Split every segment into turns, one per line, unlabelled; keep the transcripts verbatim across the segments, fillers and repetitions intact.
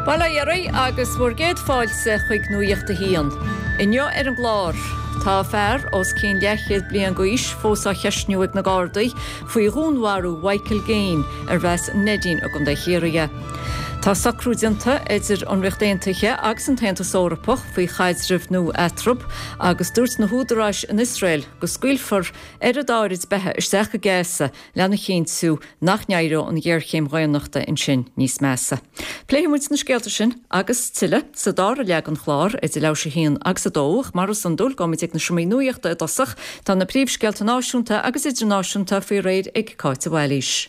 Bail ó Dhia oraibh agus bhur gcéad fáilte chuig Nuacht a hAon. Inniu ar an gclár, tá fear os cionn leathchéad bliain d'aois fós á cheisniú ag na Gardaí faoi dhúnmharú Mhichael Gaine ar as Neidín i gContae Chiarraí. Tá socrú déanta idir an Ríocht Aontaithe agus an tAontas Eorpach faoi chaidreamh nua eatarthu agus dúirt na húdaráis in Iosrael go scaoilfear oiread áirid beatha isteach go Gaza lena chinntiú nach n-éireoidh an ghéarchéim dhaonnachta ansin níos measa. Pléifimid na scéalta sin agus tuilleadh sa dara leath den chlár idir leathuair théis a haon agus a dó mar is iondúil gabhfaimid ag na seomraí nuachta i dtosach tá na príomhscéalta náisiúnta agus idirnáisiúnta faoi réir ag Cáit Bhailís.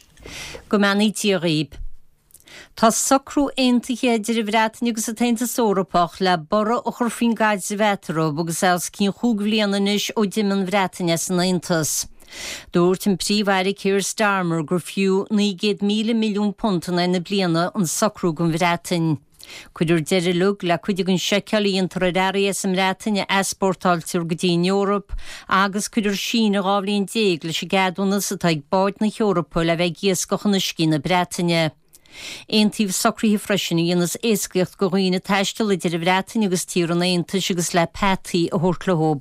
Go mbeannaí Dia dhaoibh. Tá socrú aontaithe idir an Bhreatain agus an tAontas Eorpach le borradh a chur faoin gcaidreamh eatarthu agus é os cionn chúig bhliana anois ó d'imigh an Bhreatain as an Aontas. Dúirt an Príomh-Aire Keir Starmer gur fiú naoi gcéad míle milliún punt in aghaidh na bliana an socrú don Bhreatain. Cuirfear deireadh le cuid den seiceáil a dhéantar ar earraí as an mBreatain a easpórtáiltear go dtí an Eoraip agus cuirfear síneadh dhá bhliain déag leis an gceadúnas atá ag báid na hEorpa le bheith ag iascach in uiscí na Breataine. Aontaíodh socruithe freisin a dhéanfas éascaíocht do dhaoine taisteal idir an Bhreatain agus tír an Aontais agus le peataí a thabhairt leo.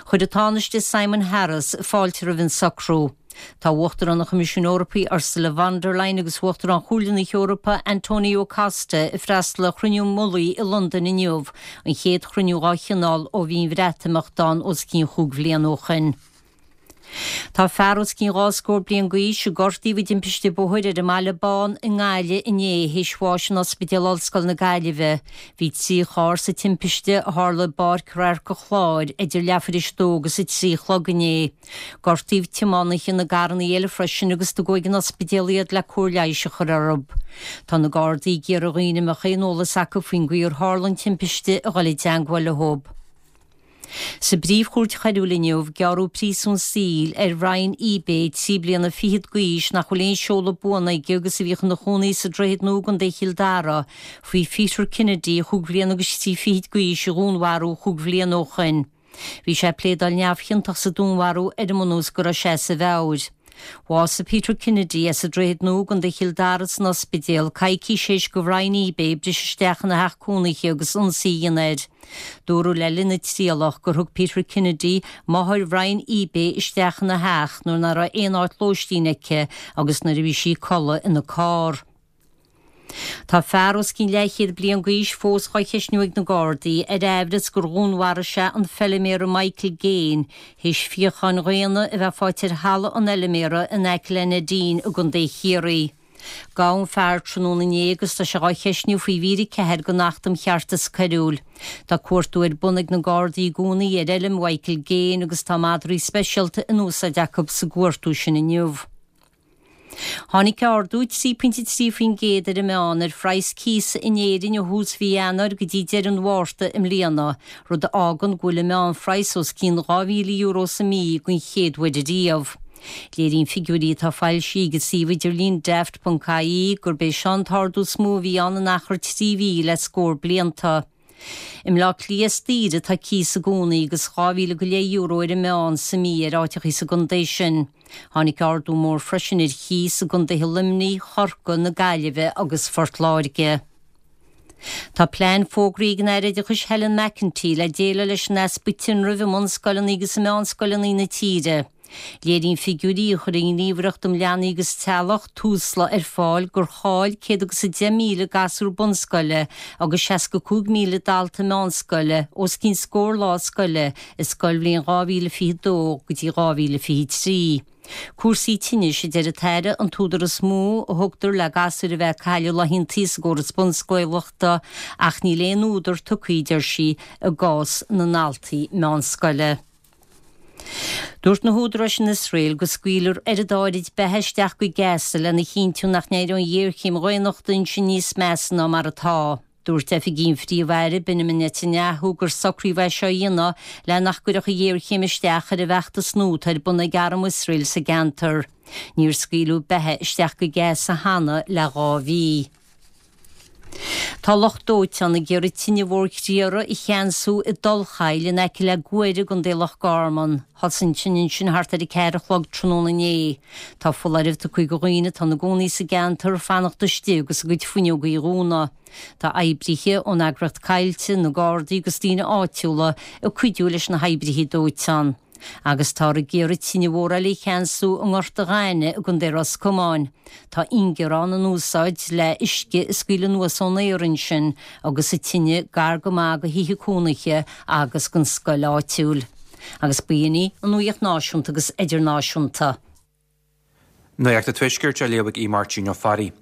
Chuir an Tánaiste Simon Harris fáilte roimh an socrú. Tá Uachtarán an Choimisiúin Eorpaigh Ursula von der Leyen agus Uachtarán Chomhairle na hEorpa Antonio Costa ag freastal ar chruinniú mullaigh i Londain inniu, an chéad chruinniú dá chineál ó bhí an Bhreatimeacht ann os cionn chúig bhliain ó shin. Tá fear os cionn dhá scór bliain d'aois a gortaíodh i dtimpiste bóthair ar an mBaile Bán i nGaillimh inné théis bháis in Ospidéal Ollscoile na Gaillimhe. Bhí trí charr sa timpiste a tharla i bPáirc Radharc an Chláir idir leathuair théis a dó agus a trí a chlog inné. Gortaíodh tiománaithe na gcarranna eile freisin agus tugadh ag an ospidéal iad le cóir leighis a chur orthu. Tá na Gardaí ag iarraidh ar dhaoine a mbeadh aon eolas acu faoin gcaoi ar tharla an timpiste a dhul i dteagmháil leo. Sa bPríomh-Chúirt Choiriúil inniu gearradh príosún saoil ar Ryan Ibeh trí bliana fichead d'aois nach bhfuil aon seoladh buan aige agus a bhíodh ina chónaí sa Droichead Nua i gContae Chill Dara faoi Peter Kennedy chúig bhliana agus trí fichid d'aois a dhúnmharú chúig bhliana ó shin. Bhí sé ag pléadáil neamhchiontach sa dúnmharú ar an mbunús go raibh sé as a mheabhair. Bhásaigh Peter Kennedy as an Droichead Nua i gContae Chill Dara san ospidéal coicís théis do Ryan Ibeh briseadh isteach ina theach cónaithe agus ionsaí a dhéanamh air. Dúradh le linn na trialach gur thug Peter Kennedy máthair Ryan Ibeh isteach ina theach nuair nach raibh aon áit lóistín aici agus nuair a bhí sí ag codladh ina carr. Tá fear os cionn leathchéad bliain d'aois fós á cheisniú ag na Gardaí ar aimhreas gur dhúnmharaigh sé an feilméara Michael Gaine théis fíocháin dhaonna a bheith faighte ar thalamh an fheilméara in aice le Neidín i gContae Chiarraí. Gabhadh an fear tráthnóna inné agus tá sé á cheisniú faoi mhír a ceathair den Acht um Cheartas Coiriúil. Tá cuartú ar bun ag na Gardaí i gcónaí ar fheilm Mhichael Gaine agus tá madraí speisialta in úsáid acu sa gcuartú sin inniu. Tháinig ardú trí pointe trí faoin gcéad ar an meán ar phraghas cíosa in Éirinn ó thús mhí Eanáir go dtí deireadh an Mhárta i mbliana, rud a fhágann go bhfuil an meánphraghas os cionn dhá mhíle euro sa mí den chéad uair riamh. Léiríonn figiúirí atá foilsithe ag an suíomh idirlín daft.ie gurb é seo an t-ardú is mó a bhí ann in achar trí mhí le scór blianta. I mBleá Cliath is daoire atá cíos i gcónaí agus dhá mhíle go leith euro ar an meán sa mí ar áiteachaí sa gcontae sin. Tháinig ardú mór freisin ar chíos i gcontaetha Luimnigh, Chorcaí, na Gaillimhe agus Phort Láirge. Tá plean fógraithe ag an Aire Oideachais Helen McEntee le déileáil leis an easpa tinrimh i mbunscoileanna agus i meánscoileanna na tíre. Léiríonn figiúirí a chuir an Ghníomhaireacht um Leanaí agus Teaghlach Tusla ar fáil gur chaill céad agus a deich míle gasúr bunscoile agus seasca cúig míle dalta meánscoile os cionn scór lá scoile i scoilbhliain dhá mhíle fiche dó go dtí dhá mhíle fiche trí. Cúrsaí tinnis a deir an tAire an t-údar is mó a thugtar le gasúir a bheith ag cailleadh laethanta sa gcóras bunscolaíochta ach níl aon údar tugtha, deir sí, i gcás na ndaltaí meánscoile. Dúirt na húdaráis in Iosrael go scaoilfear oiread áirid beatha isteach go Gaza lena chinntiú nach n-éireoidh an ghéarchéim dhaonnachta ansin níos measa ná mar atá. Dúirt oifigigh an Phríomh-Aire Benjamin Netanyahu gur socraíodh é seo a dhéanamh le nach gcuirfeadh an ghéarchéim isteach ar an bhfeachtas nua atá ar bun ag arm Iosrael sa gceantar. Níor scaoileadh beatha isteach go Gaza cheana le dhá mhí. Tá lucht dóiteáin ag iarraidh tine mhór chriara a cheansú i dTulachaill in aice le Guaire i gContae Loch Garman. Thosaigh an tine ansin thart ar a ceathair a chlog tráthnóna inné. Tá foláireamh tugtha do dhaoine atá ina gcónaí sa gceantar fanacht istigh agus a gcuid fuinneogaí a dhúnadh. Tá oibrithe ón eagraíocht Coillte, na Gardaí agus daoine áitiúla ag cuidiú leis na hoibrithe dóiteáin. Agus táthar ag iarraidh tine mhór eile a cheansú i nGort an Ghainimh i gContae Ros Comáin. Tá ingearán in úsáid le uisce a scaoileadh anuas ón aer ansin agus an tine gar go maith do thithe cónaithe agus don scoil áitiúil. Agus b'in í an nuacht náisiúnta agus idirnáisiúnta.
Nuacht an Tuaiscirt á léamh ag Máirtín Ó Fearraigh.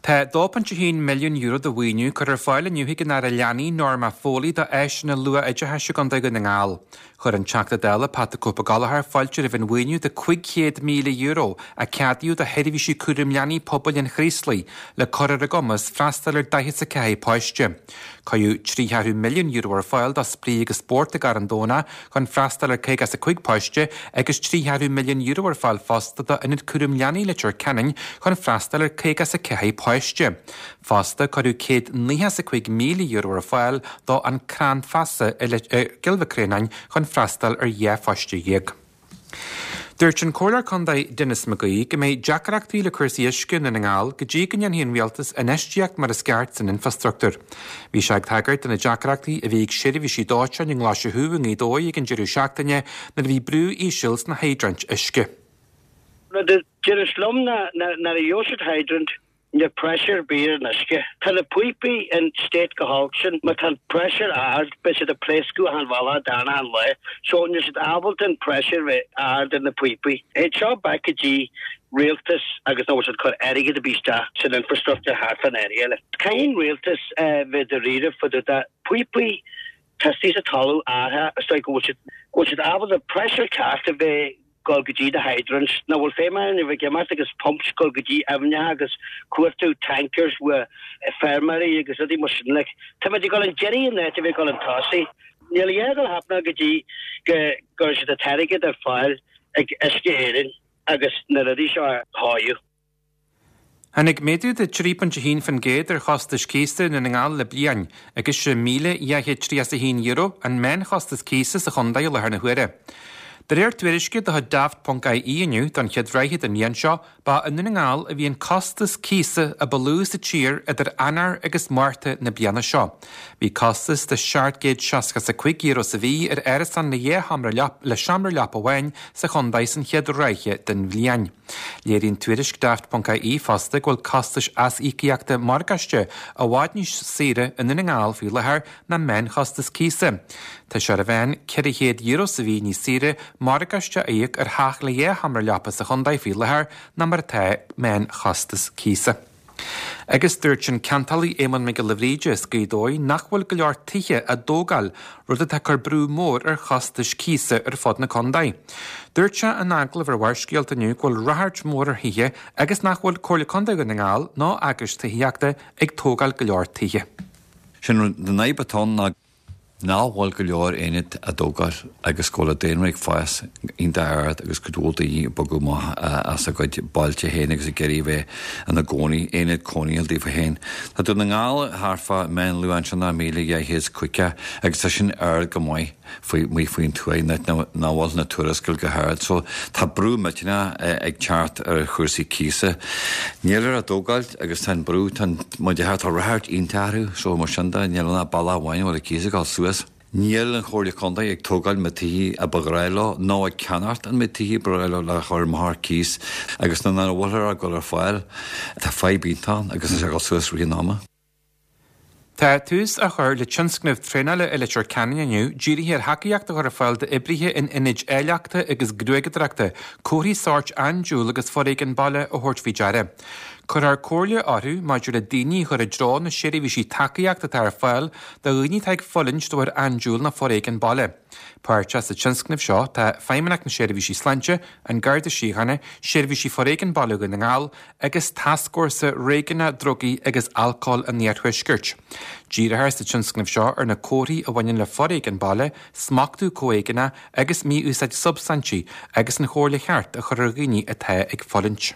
Tá dó pointe a haon milliún euro de mhaoiniú curtha ar fáil inniu ag an Aire Leanaí Norma Foley do áiseanna luath-oideachais i gContae Dhún na nGall. Chuir an Teachta Dála Pat the Cope Gallagher fáilte roimh an mhaoiniú de cúig chéad míle euro a ceadaíodh do sheirbhísí cúraim leanaí pobail an Chraoslaigh le cur ar a gcumas freastal ar daichead a ceathair páiste. Cuireadh trí cheathrú milliún euro ar fáil do Spraoi agus Spórt i gCarn Domhnach chun freastal ar caoga is a cúig páiste agus trí cheathrú milliún euro ar fáil fosta do Ionad Cúraim Leanaí Leitir Ceanainn chun freastal ar caoga is a ceathair páiste. Fosta cuireadh céad nócha is a cúig míle euro ar fáil do An Crann Feasa i gCill Mhic Réanáin chun freastal ar dhá pháiste dhéag. Dúirt an Comhairleoir Contae Denis McGee go mbeidh deacrachtaí le cúrsaí uisce i nDún na nGall go dtí go ndéanfaidh an rialtas infheistíocht mar is ceart san infrastruchtúr. Bhí sé ag tagairt do na deacrachtaí a bhí ag seirbhísí dóiteáin i nGlaise Thuaidh i nGaoth Dobhair ag an deireadh seachtaine nuair a bhí brú íseal sna hiodraint uisce.
Rud a deireas liom ná nuair a gheobhaidh siad hydrant níl pressure ar bith ar an uisce. Tá na píopaí in state go holc sin, má tá an pressure ard beidh siad ag pléascadh achan bhealach darna achan lá. So níl siad ábalta an pressure bheith ard ar na píopaí. Théid seo back go dtí rialtas agus nach bhfuil siad cur airgead ar bith isteach san infrastructure thart fan area eile. Caithfidh an rialtas bheith dáiríre fá dtaobh de píopaí tá istigh sa talamh artha is dóigh go bhfuil siad go bhfuil siad ábalta pressure ceart a bheith gul go dtí na hydrants nach bhfuil feidhm ann a bheith ag imeacht agus pumps gul go dtí aibhneacha agus cuartú tankers with feirmeoirí agus rudaí mar sin like tá muid ag dul an deiridh in áit a bheith ag dul an tosaigh. Níl a dhath ag dul happening go dtí go gcuirfidh siad an t-airgead ar fáil ag Uisce Éireann agus na rudaí seo a sháigh.
Tháinig méadú de trí pointe a haon faoin gcéad ar chostais cíosa i nDún na nGall le bliain, agus sé míle dhá chéad tríocha a haon euro an meánchostas cíosa sa chontae i láthair na huaire. De réir tuairisce de chuid Daft ponc I E inniu don chéad ráithe den bhliain seo, ba i nDún na nGall a bhí an costas cíosa a ba lú sa tír idir Eanáir agus Márta na bliana seo. Bhí costas de seacht gcéad seasca a cúig euro sa mhí ar árasán le dhá sheomra le seomra leapa amháin sa chontae san chéad ráithe den bhliain. Léiríonn tuairisc Daft ponc I E fosta go bhfuil costais aisíocaíochta morgáiste i bhfad níos saoire i nDún na nGall faoi láthair ná meánchostas cíosa. Tá sé ar a mheán ceithre chéad euro sa mhí níos saoire morgáiste a íoc ar theach le dhá sheomra leapa sa chontae faoi láthair ná mar atá meánchostas cíosa. Agus dúirt an ceantálaí Éamonn Mac Giolla Bhríde as Gaoth Dobhair nach bhfuil go leor tithe á dtógáil, rud atá cur brú mór ar chostais cíosa ar fud na contae. Dúirt sé in agallamh ar Bharrscéalta inniu go bhfuil ráchairt mór ar thithe agus nach bhfuil Comhairle Contae Dhún na nGall ná eagrais tithíochta ag tógáil go leor tithe.
Sin an fhadhb atá ann ná nach bhfuil go leor aonad á dtógáil agus go bhfuil an daonra ag fás iontach ard agus go bhfuil daoine ag bogadh amach as a gcuid bailte féin agus ag iarraidh bheith ina gcónaí, aonad cónaithe daofa féin. Tá Dún na nGall thart fá meánluach ansin ná míle dhá chéad is caoga agus tá sin ard go maith faoi amuigh faoin tuath nach bhfuil na tuarascáil go hard. So tá brú millteanach ag teacht ar chúrsaí cíosa. Níl ar á dtógáil agus tá an brú tá tá ráchairt iontach orthu so mar sin de níl ann ach bealach amháin a bhfuil an cíos ag dul suas. Níl an Chomhairle Contae ag tógáil na tithe a ba ghnách leo nó ag ceannacht an méid tithe ba ghnách leo le chur amach ar cíos agus nuair nach bhfuil ar gul ar fáil tá fadhb iontach ann agus tá sé ag dul suas rith an ama.
Tá tús á chur le tionscnamh traenála i Leitir Ceanainn inniu dírithe ar thacaíocht a chur ar fáil d'oibrithe in ionaid áilleachta agus gruaigeadóireachta, comharthaí sóirt andúil agus foréigean baile a thabhairt faoi deara. Cuirfear comhairle orthu maidir le daoine a chur i dtreo na seirbhísí tacaíochta atá ar fáil do dhaoine atá ag fulaingt de bharr andúil nó foréigean baile. Páirteach sa tionscnamh seo tá Feidhmeannacht na Seirbhísí Sláinte, an Garda Síochána, Seirbhísí Foréigean Baile Dhún na nGall agus Tascfhórsa Réigiúnach Drugaí agus Alcóil an Iarthuaiscirt. Díreofar sa tionscnamh seo ar na comharthaí a bhaineann le foréigean baile, smachtú comhéigeanach agus mí-úsáid substaintí agus an chomhairle cheart a chur ar dhaoine atá ag fulaingt.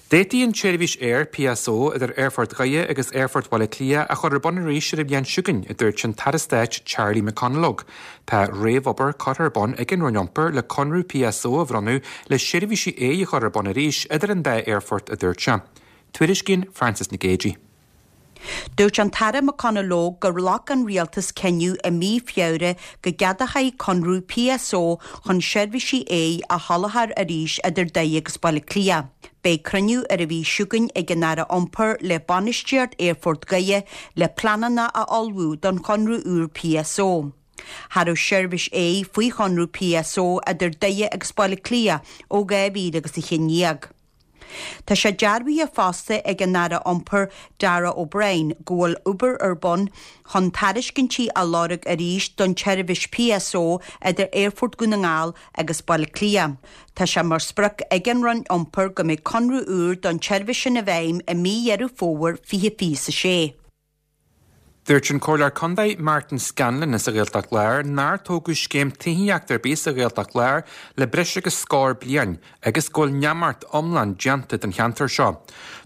D'fhéadfaí an tseirbhís aeir PSO idir Aerfort Dhoire agus Aerfort Bhaile Átha Cliath a chur ar bun arís ar an bhliain seo chugainn, a dúirt an tAire Stáit Charlie McConalogue. Tá réamhobair curtha ar bun ag an Roinn Iompair le conradh PSO a bhronnadh le seirbhísí aeir a chur ar bun arís idir an dá aerfort a dúirt sé. Tuairiscíonn Francis Nic Géadaigh.
Dúirt an tAire McConalogue gur ghlac an rialtas cinneadh i mí Feabhra go gceadófaí conradh PSO chun seirbhísí aeir a sholáthar arís idir Doire agus Baile Átha Cliath. Beidh cruinniú ar an mhí seo chugainn ag an Aire Iompair le bainistíocht Aerfort Dhoire le pleananna a ullmhú don chonradh úr PSO. Cha raibh seirbhís aeir faoi chonradh PSO idir Doire agus Baile Átha Cliath ó dhá mhíle agus a haon déag. Tá sé dearbhaithe fosta ag an Aire Iompair Darragh O'Brien go bhfuil obair ar bun chun tairiscintí a lorg arís don tseirbhís PSO idir Aerfort Dhún na nGall agus Baile Átha Cliath. Tá sé mar sprioc ag an Roinn Iompair go mbeidh conradh úr don tseirbhís sin i bhfeidhm i mí Dheireadh Fómhair fiche fiche sé.
Dúirt an Comhairleoir Contae Martin Scanlon as an Ghaeltacht Láir nár tógadh scéim tithíochta ar bith sa Ghaeltacht Láir le breis agus scór bliain agus go bhfuil neamart iomlán déanta den cheantar seo.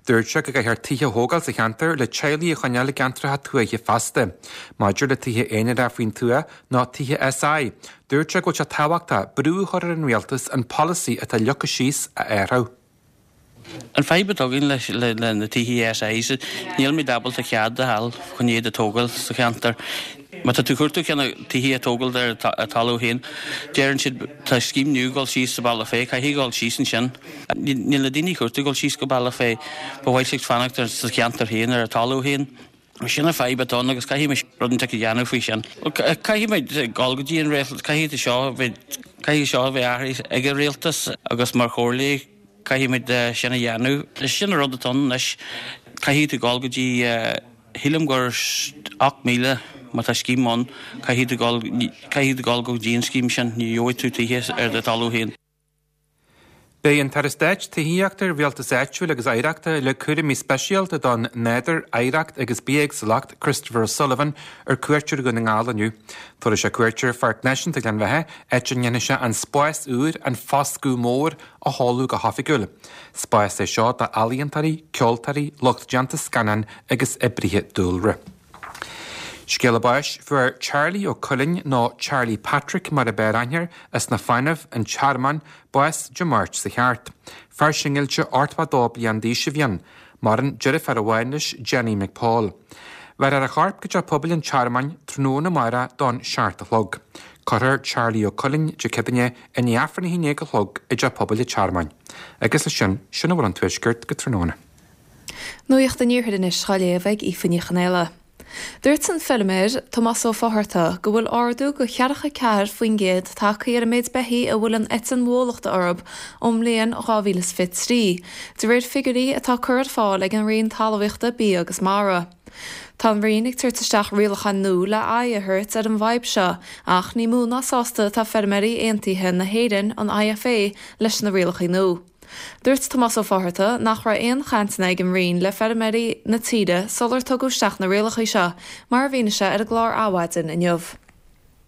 Dúirt sé go gcaithfear tithe a thógáil sa cheantar le teaghlaigh a choinneáil i gceantracha tuaithe fosta. Maidir le tithe aonair faoin tuath nó tithe SI, dúirt sé go bhfuil sé tábhachtach brú a chur ar an rialtas an polasaí atá leagtha síos a athrú.
An fadhb atá againn leis le na tithe SI níl muid ábalta cead a fháil chun iad a tógáil sa cheantar. Má tá tú cuartú ceann tithe a tógáil ar a talamh féin, deireann siad tá scéim nua dul síos sa Bealach Féich, caithfidh dul síos ansin. Níl na daoine cuartú dul síos go Bealach Féich, ba mhaith leo fanacht sa cheantar féin ar a talamh féin. Sin an fadhb atá ann agus caithfidh muid rud inteacht a dhéanamh faoi sin. Caithfidh muid dul go dtí an rialtas, caithfidh seo caithfidh seo a bheith athraithe ag an rialtas agus mar chomhairle caithfidh muid sin a dhéanamh. Sin an rud atá ann anois caithfidh tú dul go dtí sílim gur ocht míle má tá scéim ann caithfidh tú dul caithfidh tú dul go dtí an scéim sin ní gheobhaidh tú tithe ar do talamh féin.
Beidh an tAire Stáit Tithíochta Rialtais Áitiúil agus Oidhreachta le cúraimí speisialta don nádúr, oidhreacht agus bithéagsúlacht Christopher O'Sullivan ar cuairt ar Dhún na nGall inniu. Tabharfaidh sé cuairt ar Pháirc Náisiúnta Ghleann Bheatha, áit a ndéanfaidh sé an spás úr an Foscadh Mór a sheoladh go hoifigiúil. Spás é seo d'ealaíontóirí, ceoltóirí, lucht déanta scannán agus oibrithe dúlra. Scéala báis fuair Charlie Ó Cuilinn nó Charlie Patrick mar ab fhearr aithne air as na Fánaimh an Tearmann bás Dé Máirt sa cheart. Fear singilte ochtó dó bliain d'aois a bhí ann, maireann deirfiúr amháin leis Jenny McPaul. Bhéarfar a chorp go teach pobail an Tearmainn tráthnóna amárach don seacht a chlog. Cuirfear Charlie Ó Cuilinn Dé Céadaoine i ndiaidh Aifreann a haon déag a chlog i dteach pobail an Tearmainn. Agus leis sin sin a bhfuil ón tuaisceart go tráthnóna.
Nuacht an Iarthair anois á léamh ag Aoife Ní Chonaola. Dúirt an feilméar Tomás Ó Fátharta go bhfuil ardú go ceathracha ceathair faoin gcéad tagtha ar an méid beithígh a bhfuil an eitinn bhólachta orthu ón mbliain dhá mhíle is fiche trí, de réir figiúirí atá curtha ar fáil ag an Roinn Talmhaíochta Bia agus Mara. Tá an Roinn ag tabhairt isteach rialacháin nua le aghaidh a thabhairt ar an bhfadhb seo, ach ní mó ná sásta atá feirmeoirí aontaithe na hÉireann an IFA leis na rialacha nua. Dúirt Tomás Ó Fátharta nach raibh aon chainteanna ag an Roinn le feirmeoirí na tíre sular tugadh isteach na rialacha seo, mar a mhínigh sé ar an gclár Adhmhaidin inniu.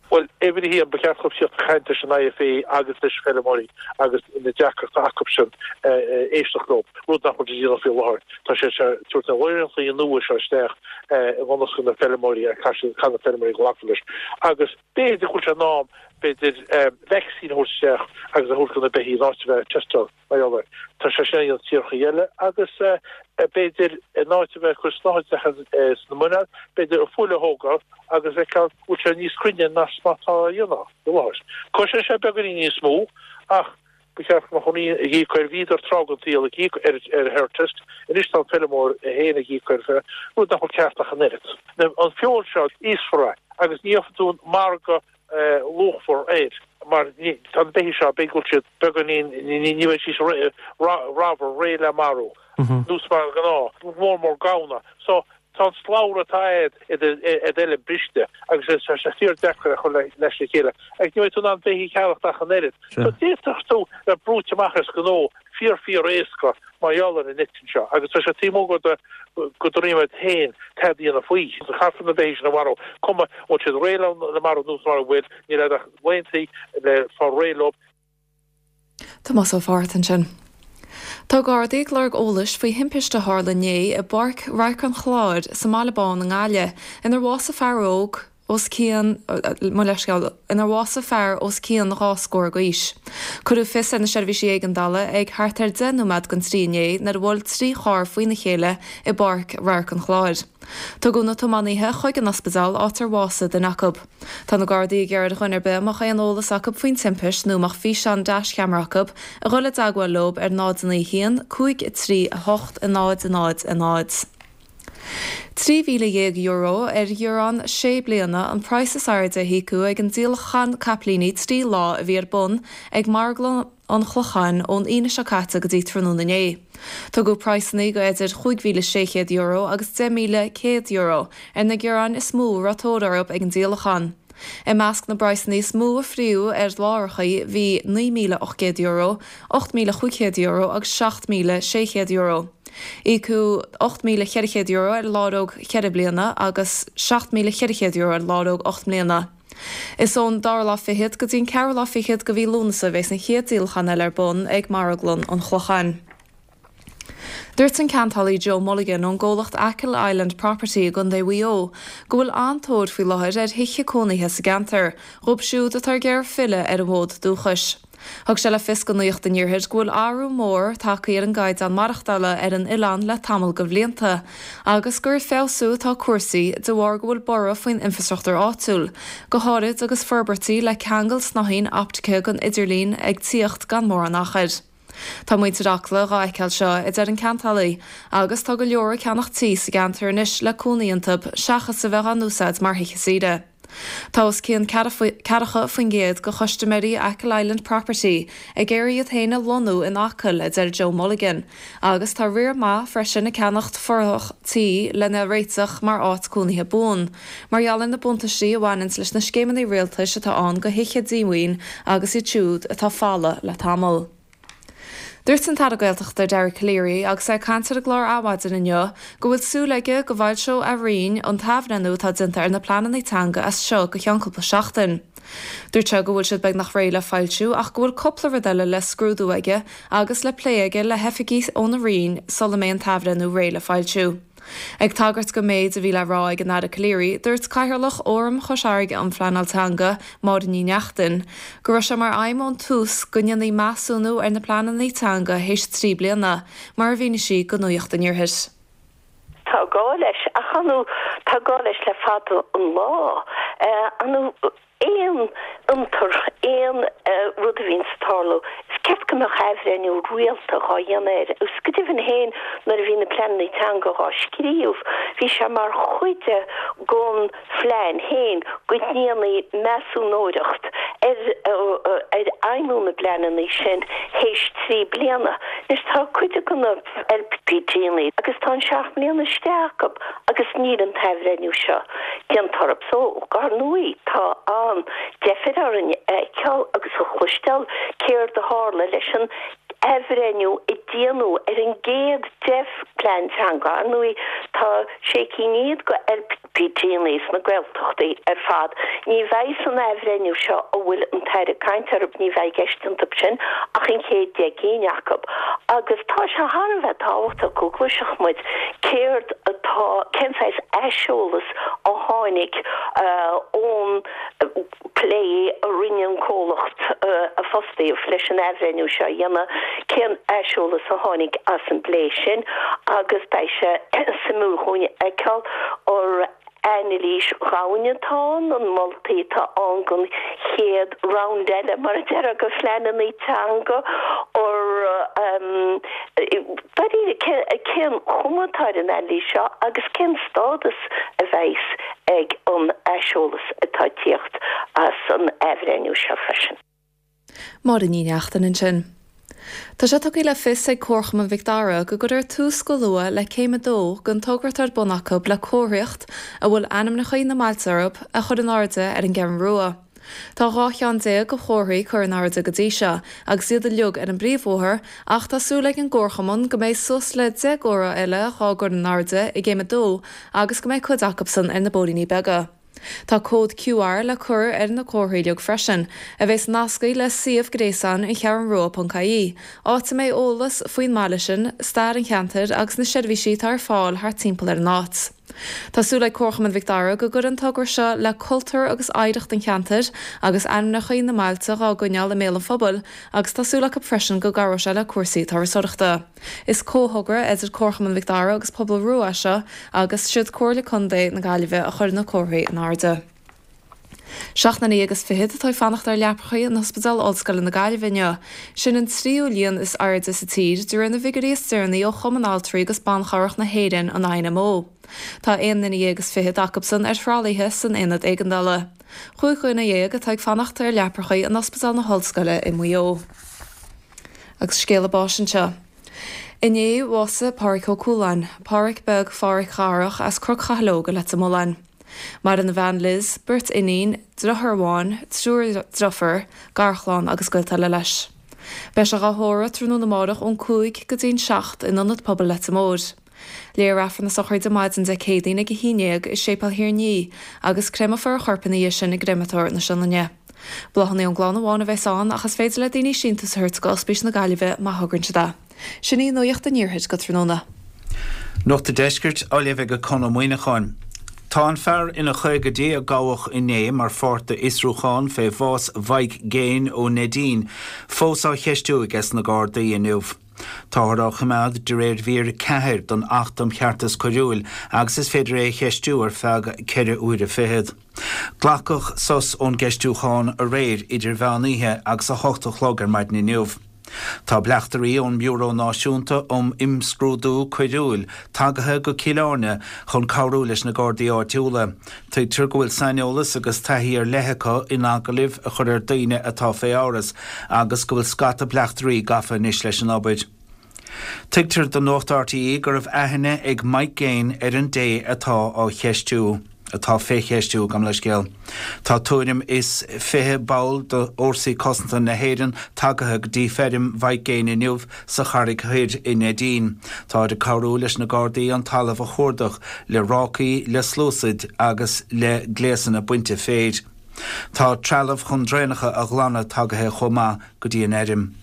Well uimhir a haon ba cheart dóibh tíocht caint leis an IFA agus leis feirmeoirí agus na deacrachtaí acu sin éisteacht leo rud nach bhfuil déanta faoi láthair. Tá sé tabhairt na rialacha nua seo isteach i gconas na feirmeoirí a chan na feirmeoirí glacadh leis. Agus b'fhéidir go bhfuil sé in am b'fhéidir vaccine a thabhairt isteach agus a thabhairt go na beithígh in áit a bheith teisteáil mar gheall air. Tá sé sin an tíortha eile agus b'fhéidir in áit a bheith cur snáthaid sna muineál, b'fhéidir a fuil a thógáil agus feiceáil bhfuil sé níos cruinne ná má tá a dhéanamh i láthair. Cosnaíonn sé beagáinín níos mó ach ba cheart go mbeadh ag íoc air bhíodar tráth den tsaol ag íoc ar ar herd test, anois tá an feirmeoir féin ag íoc air rud nach bhfuil ceart ach an oiread. An feoil seo íosfar é agus ní gheobhaidh tú an margadh luachmhar air mar tá na beithígh seo b'fhéidir go bhfuil siad beagáinín ní bheidh siad ramhar réidh le marú nós mar gnáth mór mór gamhna so tá an slabhra atá a'd eile briste agus tá sé fíor deacair a chur leis le chéile agus ní bheidh tú in ann beithígh a cheannacht ach an oiread. So d'fhéadfadh tú le brúite amach as gnó fíor fíor éasca mar gheall ar an eitinn seo agus tá sé taobh amuigh de go dtrímid féin tada a dhéanamh faoi. Caithfear na beithígh sin a mharú cuma bhfuil siad réidh le marú nó mura bhfuil níl a'd ach laethanta le fáil réidh leo.
Tomás Ó Fátharta ansin. Tá Gardaí ag lorg eolais faoi thimpiste a tharla inné i bPáirc Radharc an Chláir sa mBaile Bán i nGaillimh, inar bhásaigh fear óg os cionn mo leithscéal, inar bhásaigh fear os cionn dhá scór d'aois. Cuireadh fios ar na seirbhísí éigeandála ag thart ar deich nóiméad don trí inné nuair a bhuail trí charr faoina chéile i bPáirc Radharc an Chláir. Tugadh na tiománaithe chuig an ospidéal áit ar bhásaigh duine acu. Tá na Gardaí ag iarraidh ar dhuine ar bith a mbeadh aon eolas acu faoin timpist nó a mbeadh físeán deascheamara acu a dhul i dteagmháil leo ar náid a naoi a haon, cúig a trí a hocht a náid a náid a náid. Trí mhíle dhéag euro ar ghiorrán sé bliana an praghas is airde a híocadh ag an díolachán capaillíní trí lá a bhí ar bun ag Marglann an Chlocháin ón Aoine seo caite go dtí tráthnóna inné. Tugadh praghsanna go idir chúig mhíle sé chéad euro agus deich míle céad euro ar na giorráin is mó a raibh tóir orthu ag an díolachán. I measc na bpraghsanna is mó a fríodh ar lárachaí bhí naoi míle ocht gcéad euro, ocht míle chúig chéad euro agus seacht míle sé chéad euro. Íocadh ocht míle ceithre chéad euro ar láróg cheithre bliana agus seacht míle ceithre chéad euro ar láróg ocht mbliana. Is ón dara lá fichead go dtí an ceathrú lá fichead de mhí Lúnasa a bheas an chéad díolachán eile ar bun ag Marglann an Chlocháin. Dúirt an ceantálaí Joe Mulligan ón gcomhlacht Achill Island Property i gContae Mhaigh Eo go bhfuil an-tóir faoi láthair ar thithe cónaithe sa gceantar, dhóibh siúd atá ag iarraidh filleadh ar an bhfód dúchais. Thug sé le fios do Nuacht an Iarthair go bhfuil athrú mór tagtha ar an gcaighdeán maireachtála ar an oileán le tamall de bhlianta agus gur ag feabhsú atá cúrsaí de bharr go bhfuil borradh faoin infreastruchtúr áitiúil, go háirid agus forbairtí le ceangal snáithín optaice don idirlíon ag tíocht gan mórán achair. Tá muintir Acla dhá fheiceáil seo, a deir an ceantálaí, agus tá go leor ag ceannach tí sa gceantar anois le cónaí iontu seachas a bheith á n-úsáid mar thithe saoire. Tá os cionn ceathracha faoin gcéad de chustaiméirí Achill Island Property ag iarraidh iad féin a lonnú in Acaill, a deir Joe Mulligan, agus tá riar maith freisin ag ceannacht fothrach tí lena réiteach mar áit cónaithe buan, mar gheall ar na buntáistí a bhaineanns leis na scéimeanna rialtais atá ann do thithe díomhaoin agus iad siúd atá folamh le tamall. Dúirt an tAire Gaeltachta Dara Calleary agus é ag caint ar an gclár Adhmhaidin inniu go bhfuil súil aige go bhfoilseoidh a Roinn an t-athbhreithniú atá déanta ar na pleananna teanga as seo go ceann cúpla seachtain. Dúirt sé go bhfuil siad beagnach réidh le foilsiú ach go bhfuil cúpla rud eile le scrúdú aige agus le plé aige le hoifigigh óna Roinn sula mbeidh an t-athbhreithniú réidh le foilsiú. Ag tagairt don méid a bhí le rá ag an Aire Calleary, dúirt Cathaoirleach Fhóram Chois Fharraige um Phleanáil Teanga, Máire Ní Neachtain, go raibh sé mar aidhm ón tús go ndéanfaí measúnú ar na pleananna teanga théis trí bliana, mar a mhínigh sí do Nuacht an Iarthair.
Tá gá leis, ach ar ndóigh tá gá leis le fada an lá. Ar ndóigh aon fhiontar, aon rud a bhíonns ag tarlú, is ceart go mbeadh athbhreithniú rialta dhá dhéanamh air. Agus go deimhin féin, nuair a bhí na pleananna teanga dhá scríobh, bhí sé mar chuid de gon phlean féin go ndéanfaí measúnóireacht ar ar fheidhmiú na bpleananna sin théis trí bliana. Anois tá cuid de na LPTanna agus tá an seacht mbliana istigh acu agus níl an t-athbhreithniú seo déanta orthu. So, dar ndóigh, tá an-deifir orainn a fheiceáil agus a chloisteáil céard a tharla leis an athbhreithniú a déanadh ar an gcéad deich bplean teanga. Ar ndóigh, tá sé cinn fhichead de LPTanna sna Gaeltachtaí ar fad. Ní bheidh san athbhreithniú seo a bhfuil an tAire ag caint orthu, ní bheidh i gceist iontu sin ach an chéad deich gcinn acu. Agus tá sé thar a bheith tábhachtach go gcloisfeadh muid céard atá, cén saghas aiseolas a tháinig ón bplé a rinne an comhlacht a fostaíodh leis an athbhreithniú seo a dhéanamh, cén aiseolas a tháinig as an bplé sin agus beidh sé suimiúil dhúinn a fheiceáil an anailís dhomhain atá ann, an moltaí atá ann don chéad round eile, mar a déarfá, de phleananna teanga, dáiríre, cén chuma atá ar an anailís seo agus cén stádas a bheas ag an aiseolas atá ag tíocht as an athbhreithniú seo freisin.
Máire Ní Neachtain ansin. Tá sé tugtha le fios ag Comharchumann Mhic Dara go gcuirfear tús go luath le céim a dó den togra atá ar bun acu le comharthaíocht a bhfuil ainmneacha na mbailte orthu a chur in airde ar an gCeathrú Rua. Tá dhá cheann déag de chomharthaí curtha in airde go dtí seo agus iad uilig ar an bpríomhbhóthar ach tá súil ag an gComharchumann go mbeidh suas le deich gcomhartha eile dhá gcur in airde i gcéim a dó agus go mbeidh cuid acusan ar na bóithríní beaga. Tá cód Q R le cur ar na comharthaí uilig freisin, a bheas nasctha le suíomh gréasáin an Cheathrú Rua ponc I E, áit a mbeidh eolas faoin mbaile sin, stair an cheantair agus na seirbhísí atá ar fáil thart timpeall ar an áit. Tá súil ag Comharchumann Mhic Dara go gcuireann an togra seo le cultúr agus oidhreacht an cheantair agus ainmneacha na mbailte á gcoinneáil i mbéal an phobail agus tá súil acu freisin go gcabhróidh sé le cúrsaí turasóireachta. Is comhthogra idir Comharchumann Mhic Dara agus Pobal Rua seo agus siad Comhairle Contae na Gaillimhe a chuir na comharthaí in airde. Seacht nduine agus fiche atá ag fanacht ar leapacha in Ospidéal Ollscoile na Gaillimhe inniu. Sin an tríú líon is airde sa tír de réir na bhfigiúirí is deireanaí ó Chumann Altraí agus Ban Cabhrach na hÉireann an I N M O. Tá aon duine déag agus fiche acusan ar thralaithe san aonad éigeandála. Cúig dhuine dhéag atá ag fanacht ar leapacha in Ospidéal na hOllscoile i Maigh Eo. Agus scéala báis anseo. Inné bhásaigh Pádraig Ó Cualáin, Pádraig beag Phádraic Dharach as Cnoc Chathalóga Leitir Mealláin. Maireann a bhean Liz, beirt iníon, deartháir amháin, triúr deirfiúr, garchlann agus gaolta eile leis. Beidh sé á thórramh tráthnóna amárach ón cúig go dtí'n seacht in ionad pobail Leitir Móir. Léifear Aifreann na sochraide maidin Dé Céadaoin ag a haon déag i Séipéal Thír an Fhia agus créamfar a chorp ina dhiaidh sin i gcréamatóir na Sionainne. Bláthanna ón gclann amháin a bheas ann ach is féidir le daoine síntiús a thabhairt go Ospís na Gaillimhe má thograíonn siad é. Sin í nuacht an Iarthair go tráthnóna.
Nuacht an Deiscirt á léamh ag Conn Ó Muíneacháin. Tá an fear ina chaogaidí a gabhadh inné mar pháirt d'fhiosrúchán fé bhás Mhike Gaine ó Neidín, fós á cheistiú ag na Gardaí inniu. Táthar á choimeád de réir mhír ceathair den Acht um Cheartas Coiriúil agus is féidir é a cheistiú ar feadh ceithre huaire fichead. Glacadh sos ón gceistiúchán aréir idir mheán oíche agus a hocht a chlog ar maidin inniu. Tá bleachtairí ón mBiúró Náisiúnta um Imscrúdú Coiriúil tagaithe go Cill Airne chun cabhrú leis na Gardaí áitiúla. Tuigtear go bhfuil saineolas agus taithí ar leith acu in agallaimh a chur ar daoine atá faoi amhras agus go bhfuil scata bleachtairí gafa anois leis an obair. Tuigtear do Nuacht R T É go raibh aithne ag Mike Gaine ar an dté atá á cheistiú atá fé cheistiú gabh mo leithscéal. Tá tuairim is fiche ball d'Fhórsaí Cosanta na hÉireann tagaithe go dtí feirm Mhike Gaine inniu sa Charraig Thoir i Neidín. Tá ag cabhrú leis na Gardaí an talamh a chuardach le rácaí le sluasaid agus le gléasanna bainte féir. Tá trealamh chun draenacha a ghlanadh tagaithe chomh maith go dtí an fheirm.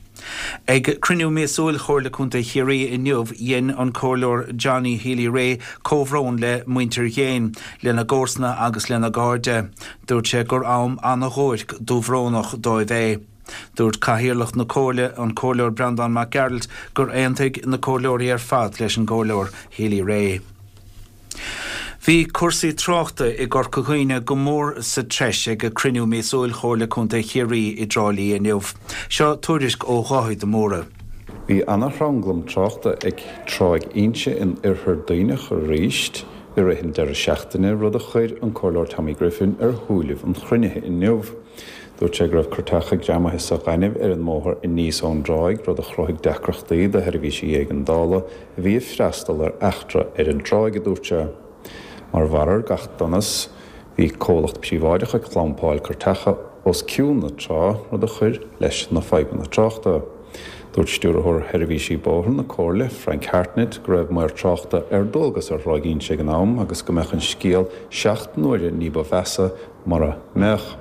Ag cruinniú míosúil Chomhairle Contae Chiarraí inniu dhein an Comhairleoir Johnny Healy-Rae comhbhrón le muintir Ghaine lena gcomharsana agus lena gcairde. Dúirt sé gur am an-dhuairc dúbhrónach dóibh é. Dúirt Cathaoirleach na Comhairle an Comhairleoir Breandán Mac Gearailt gur aontaigh na comhairleoirí ar fad leis an gComhairleoir Healy-Rae. Bhí cúrsaí tráchta i gCorca Dhuibhne go mór sa treis ag cruinniú míosúil Chomhairle Contae Chiarraí i dTrá Lí inniu. Seo tuairisc ó Dháithí de Mórdha.
Bhí an-thranglam tráchta ag Tráigh Inse in oirthear Duibhneach arís i rith an deireadh seachtaine rud a chuir an Comhairleoir Tommy Griffin ar shúilibh an chruinnithe inniu. Dúirt sé go raibh cuairteacha greamaithe sa ghaineamh ar an mbóthar aníos ón dtráigh rud a chruthaigh deacrachtaí do sheirbhísí éigeandála a bhí ag freastal ar eachtra ar an dtráigh a dúirt sé. Mar bharr ar gach donas, bhí comhlacht príobháideach ag clampáil cuairteacha os cionn na trá rud a chuir leis na fadhbanna tráchta. Dúirt stiúrthóir sheirbhísí bóthair na Comhairle Frank Hartnett go raibh maor tráchta ar dualgas ar Thráigh Inse ag an am agus go mbeadh an scéal seacht n-uaire ní ba mheasa mura mbeadh.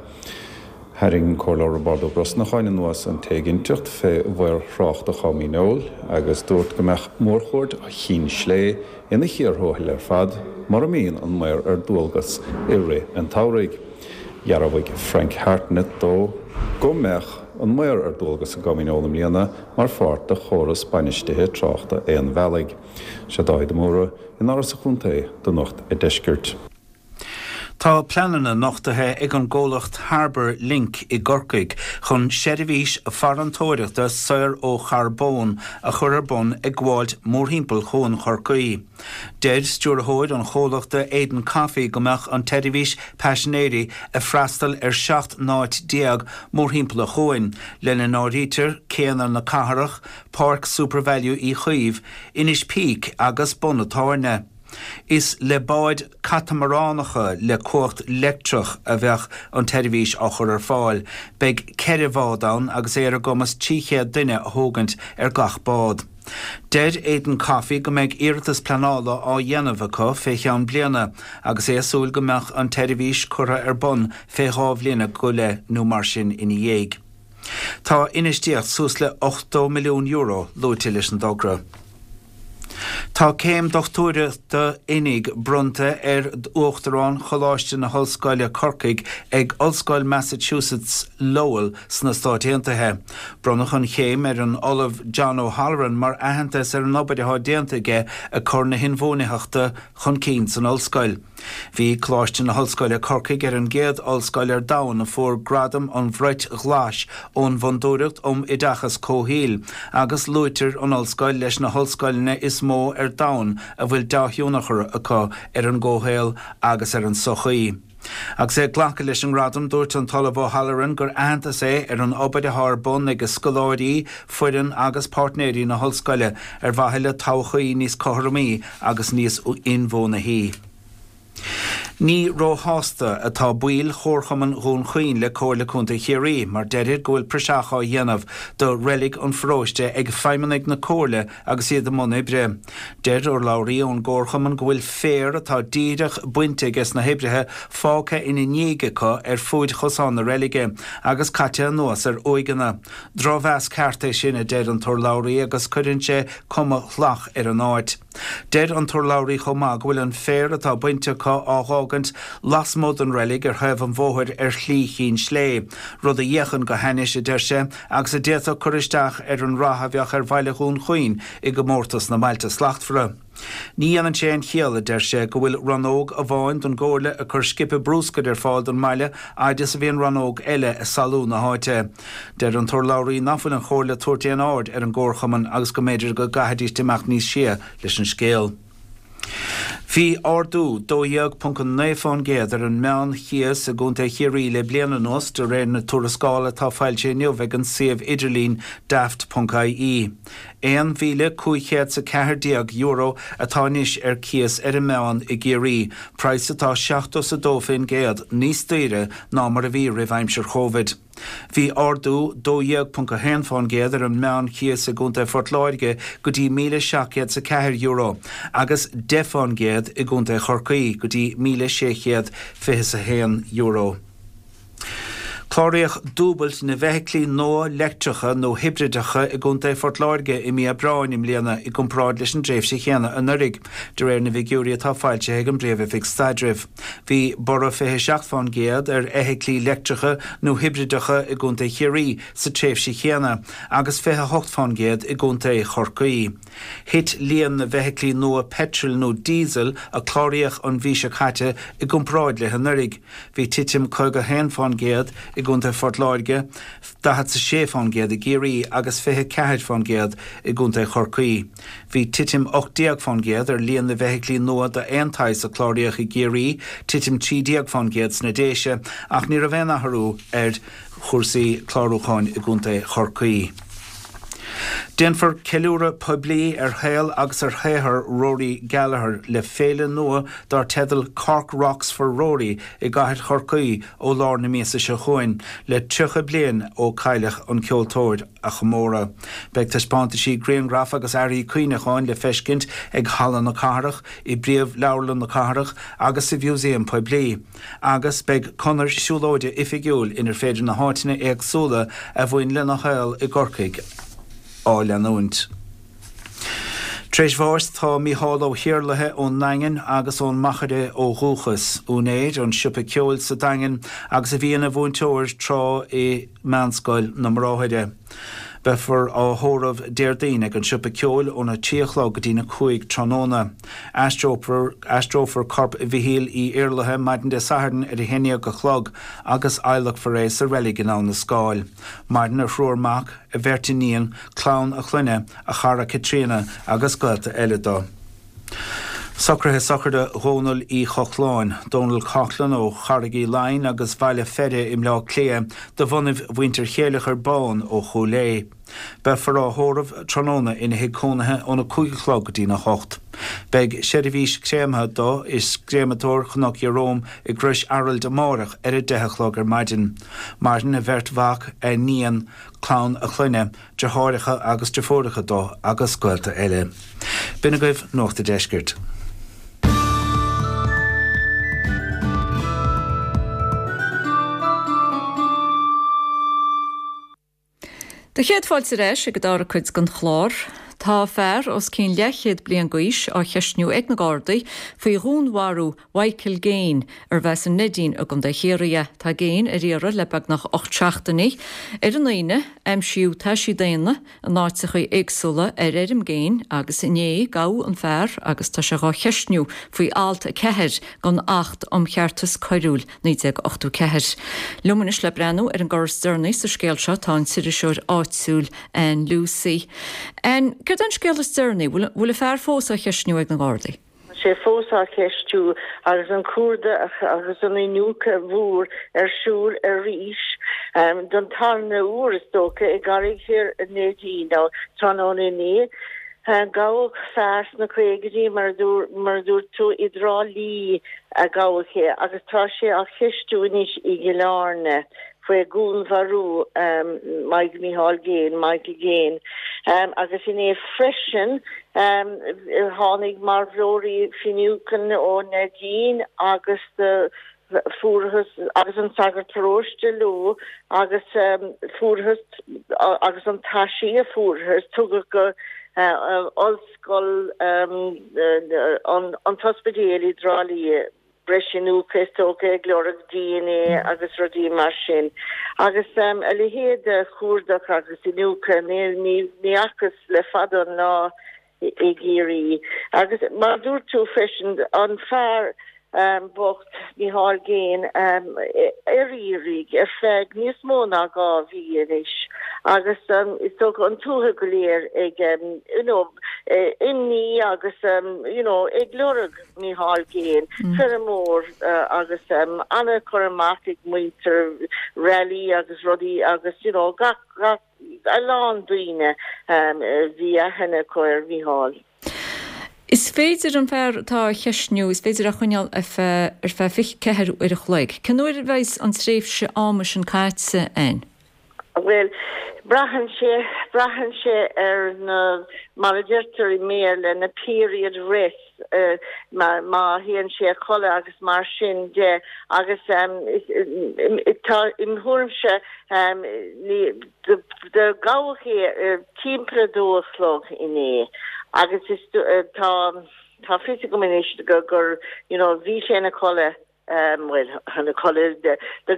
Tharraing Comhairleoir Roibeárd Ó Brosnacháin anuas an t-éiginnteacht fé mhaor tráchta Chom Dhíneol agus dúirt go mbeadh mórchuaird Chinn Slé ina chíor thuathail ar fad mura mbíonn an maor ar dualgas i rith an tsamhraidh. Dhearbhaigh Frank Hartnett dó go mbeadh an maor ar dualgas i gCom Dhíneol i mbliana mar pháirt de chóras bainistithe tráchta aon bhealaigh. Sé Dáithí de Mórdha in Áras an Chontae do Nuacht an Deiscirt.
Tá pleananna nochtaithe ag an gcomhlacht Harbour Link i gCorcaigh chun seirbhís farantóireachta saor ó charbón a chur ar bun ag gabháilt mórthimpeall Chuan Chorcaí. Deir stiúrthóir an chomhlachta Aidan Coffey go mbeadh an tseirbhís paisinéirí ag freastal ar seacht n-áit déag mórthimpeall an chuain, lena n-áirítear céanna na cathrach, Páirc SuperValu Uí Chaoimh, Inis Píc agus Bun an Tábhairne. Is le báid catamaránacha le cumhacht leictreach a bheadh an tseirbhís á chur ar fáil, Beidh ceithre bhád ann agus é ar a gcumas trí chéad duine a thógaint ar gach bád. Deir Eden Coffee go mbeidh iarratas pleanála á dhéanamh acu fé cheann bliana agus é ag súil go mbeadh an tseirbhís curtha ar bun fé dhá bhliain go leith nó mar sin ina dhiaidh. Tá infheistíocht suas le ochtó milliún euro luaite leis an dtogra. Tá céim dochtúireachta oinigh bronnta ar Uachtarán Choláiste na hOllscoile Corcaigh ag Ollscoil Massachusetts Lowell sna Stáit Aontaithe. Bronnadh an chéim ar an Ollamh John O'Halloran mar aitheantas ar an obair atá déanta aige ag cur na hinbhuanaitheachta chun cinn san ollscoil. Bhí Coláiste na hOllscoile Corcaigh ar an gcéad ollscoil ar domhan a fuair Gradam an Bhrait Ghlais ón bhFondúireacht um Oideachas Comhshaoil agus luaitear an ollscoil leis na hollscoileanna is mó ar domhan a bhfuil dea-thionchar acu ar an gcomhshaol agus ar an tsochaí. Agus é ag glacadh leis an ngradam, dúirt an tOllamh O'Halloran gur aitheantas é ar an obair atá ar bun ag scoláirí, foireann agus páirtnéirí na hollscoile ar mhaithe le todhchaí níos cothromaí agus níos inbhuanaithí. Ní róshásta atá baill Chomharchumann Dhún Chaoin le Comhairle Contae Chiarraí mar deirid go bhfuil praiseach á dhéanamh do reilig an pharóiste ag feidhmeannaigh na Comhairle agus iad i mbun oibre. Deir urlabhraí ón gComharchumann go bhfuil féar atá díreach bainte ages na hoibrithe fágtha ina ndiaidh acu ar fuaid chosán na reilige agus caite anuas ar uaigheanna. Drochmheas ceart é sin, a deir an t-urlabhraí agus cuireann sé cuma shalach ar an áit. Deir an t-urlabhraí chomh maith go bhfuil an féar atá bainte acu á dh'fhágaint lasmuigh den reilig ar thaobh an bhóthair ar Shlí Chinn Slé, rud a fhéachann go hainnis, a deir sé, agus a d'fhéadfadh cur isteach ar an rath a bheadh ar bhaile Dhún Chaoin i gcomórtas na mBailte Slachtmhara. Ní dhéanann sé aon chiall, a deir sé, go bhfuil rannóg amháin den gComhairle ag cur scipe brúscair ar fáil don mbaile fhaid is a bhíonn rannóg eile ag salú na háite. Deir an t-urlabhraí nach bhfuil an Chomhairle ag tabhairt aon aird ar an gComharchumann agus go mb'fhéidir go gcaithfidís imeacht níos sia leis an scéal. Bhí ardú dó dhéag ponc a naoi fán gcéad ar an meán-chíos i gContae Chiarraí le bliain anuas, de réir na tuarascála atá foilsithe inniu ag an suíomh idirlín daft ponc ie. Aon mhíle cúig chéad 's a ceathair déag euro atá anois ar cíos ar an meán i gCiarraí, praghas atá seachtó 's a dó fén gcéad níos daoire ná mar a bhí roimh aimsir Chóvid. Bhí ardú dó dhéag ponc a haon fán gcéad ar an meán-chíos i gContae Phort Láirge go dtí míle seacht gcéad 's a ceathair euro agus deich fán gcéad i gContae Chorcaí go dtí míle sé chéad fiche 's a haon euro. Cláraíodh dúbailt na bhfeithiclí nua leictreacha nó hibrideacha i gContae Phort Láirge i mí Aibreáin i mbliana i gcomparáid leis an dtréimhse chéanna anuraidh, de réir na bhfigiúirí atá foilsithe ag an bPríomh-Oifig Staidrimh. Bhí borradh fiche seacht fán gcéad ar fheithiclí leictreacha nó hibrideacha i gContae Chiarraí sa tréimhse chéanna agus fiche hocht fán gcéad i gContae Chorcaí. Thit líon na bhfeithiclí nua peitril nó díosail a cláraíodh an mhí seo caite i gcomparáid le hanuraidh. Bhí titim caoga a haon fán gcéad i gContae Phort Láirge, daichead 's a sé fán gcéad i gCiarraí agus fiche ceathair fán gcéad i gContae Chorcaí. Bhí titim ocht déag fán gcéad ar líon na bhfeithiclí nua d'aon tsaghas a cláraíodh i gCiarraí, titim trí déag fán gcéad sna Déise ach ní raibh aon athrú ar chúrsaí clárúcháin i gContae Chorcaí. Déanfar ceiliúradh poiblí ar shaol agus ar shaothar Rory Gallagher le féile nua dar teideal Cork Rocks for Rory i gcathair Chorcaí ó lár na míosa seo chugainn, le tríocha bliain ó cailleadh an ceoltóir a chomóradh. Beidh taispeántaisí grianghraf agus earraí cuimhneacháin le feiscint ag Halla na Cathrach, i bPríomh-Leabharlann na Cathrach agus sa Mhúsaem Poiblí, agus beidh conair siúlóide oifigiúil inar féidir na háiteanna éagsúla a bhain lena shaol i gCorcaigh á leanúint. Tar éis bháis tá Mícheál Ó hIarlaithe ón nDaingean agus ón Machaire ó dhúchas, úinéir an tsiopa ceoil sa Daingean agus a bhí ina mhúinteoir tráth i Meánscoil na mBráithre. Beifear á thórramh Déardaoin ag an siopa ceoil óna trí a chlog go dtína cúig tráthnóna. Aistreofar aistreofar corp Mhichíl Uí Iarlaithe maidin Dé Sathairn ar a haon déag a chlog agus adhlacfar é sa reilig in Abha na Scáil. Maireann a thriúr mac, a bheirt iníon, clann a chlainne, a chara Caitríona agus gaolta eile dó. Socruithe sochraide Dhónaill Uí Chochláin, Donal Coughlan ó Charraig Uí Leighin agus Bhaile Pheire i mBleá Cliath, de bhunaibh mhuintir Chéileachair Bán ó Chúil Aodha. Beifear á thórramh tráthnóna ina thigh cónaithe óna cúig a chlog go dtína hocht. Beidh seirbhís créamtha dó i gcréamatóir Chnoc Ieróm i gCrois Araild amárach ar a deich a chlog ar maidin. Maireann a bheirt mhac, a iníon, clann a chlainne, deartháireacha agus deirfiúracha dó agus gaolta eile. B'in agaibh Nuacht a' Deiscirt.
Do chéad fáilte ar ais ag an dara cuid den chlár. Tá fear os cionn leathchéad bliain d'aois á cheistniú ag na Gardaí faoi dhúnmharú Mhichael Gaine, arbh as an Neidín i gContae Chiarraí. Tá Gaine ar iarraidh le beagnach ocht seachtainí. Ar an Aoine, aimsíodh taisí daonna in áiteacha éagsúla ar fheirm Gaine agus inné gabhadh an fear agus tá sé dhá cheistniú faoi alt a ceathair den Acht um Cheartas Coiriúil, naoi déag ochtó ceathair. Liom anois le breathnú ar an gcor is deireanaí sa scéal seo tá an t-iriseoir áitiúil Ann Lucey. Ann, céard é an scéal is deireanaí? Bhfuil an fear fós á cheistniú ag na Gardaí?
Tá sé fós á cheistiú agus an cuardach agus an iniúchadh mhór ar siúl arís don tarna huair is dócha i gCarraig Thoir Neidín tráthnóna inné. Gabhadh fear sna caogaidí mar a dúirt tú i dTrá Lí a gabhadh é agus tá sé á cheistiú anois i gCill Airne. faoi dhúnmharú Mike Micheál Gaine, Michael Gaine, agus inné freisin tháinig marbhlóirí Finucane ó Neidín agus fuarthas agus an sagart paróiste leo agus fuarthas agus an taisí a fuarthas tugadh go Ollscoil an tOspidéal i dTrá Lí é. breis iniúchadh is dócha ag lorg DNA agus rudaí mar sin. Agus a leithéid de chuardach agus iniúchadh ní fhacthas le fada an lá i gCiarraí. Agus mar a dúirt tú freisin, an fear bocht Micheál Gaine ar iarraidh ar feadh níos mó ná dhá mhí anois agus is dócha an tuath go léir ag you know imní agus you know ag lorg Micheál Gaine, feirmeoir agus an-chur amach ag muintir rally agus rudaí agus you know gach gach a lán daoine bhí aithne acu ar Mhicheál.
Is féidir an fear atá á cheistniú, is féidir a choinneáil ar feadh ar feadh fiche ceathair uair a chloig. Cén uair a bheidh an tréimhse ama sin caite, Ann?
Bhuel, braitheann sé, braitheann sé ar na, mar a deirtear i mBéarla, na period rest, má théann sé a chodladh agus mar sin de agus tá, im thuairimse, ní, do gabhadh é timpeall a dó a chlog inné agus is tá, tá fios agam anois gur, you know, bhí sé ina chodladh. bhuel, ina chodladh, do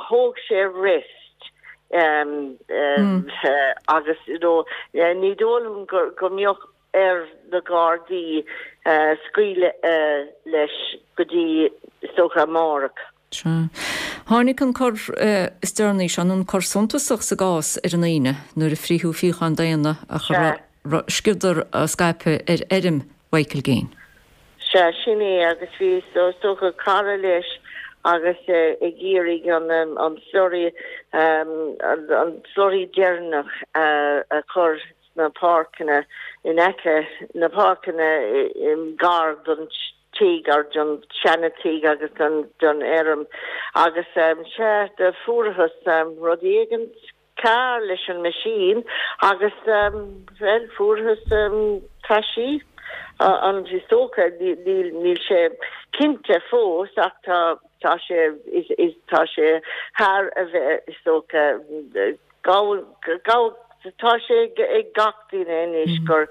thóg sé rest agus you know ní dóigh liom go mbeadh ar na Gardaí scaoileadh leis go dtí is dócha amárach.
Sea. Tháinig an cor is deireanaí seo, nó an cor suntasach sa gcás ar an Aoine nuair a frítheadh fíocháin daonna a raibh sciodar á scaipeadh ar fheirm Mhichael Gaine.
Sea, sin é, agus bhí, is dócha, cara leis agus ag iarraidh an slurry, an slurry deireanach a chur sna páirceanna in aice, na páirceanna gar don tigh, or don seana-tigh agus don fheirm. Agus, sea, do fuarthas rud éigin cearr leis an machine agus, bhuel, fuarthas taisí, an, is dócha, níl, níl sé cinnte fós ach tá, tá sé, is, is, tá sé thar a bheith, is dócha, gabh, gabh, tá sé ag gach duine anois gur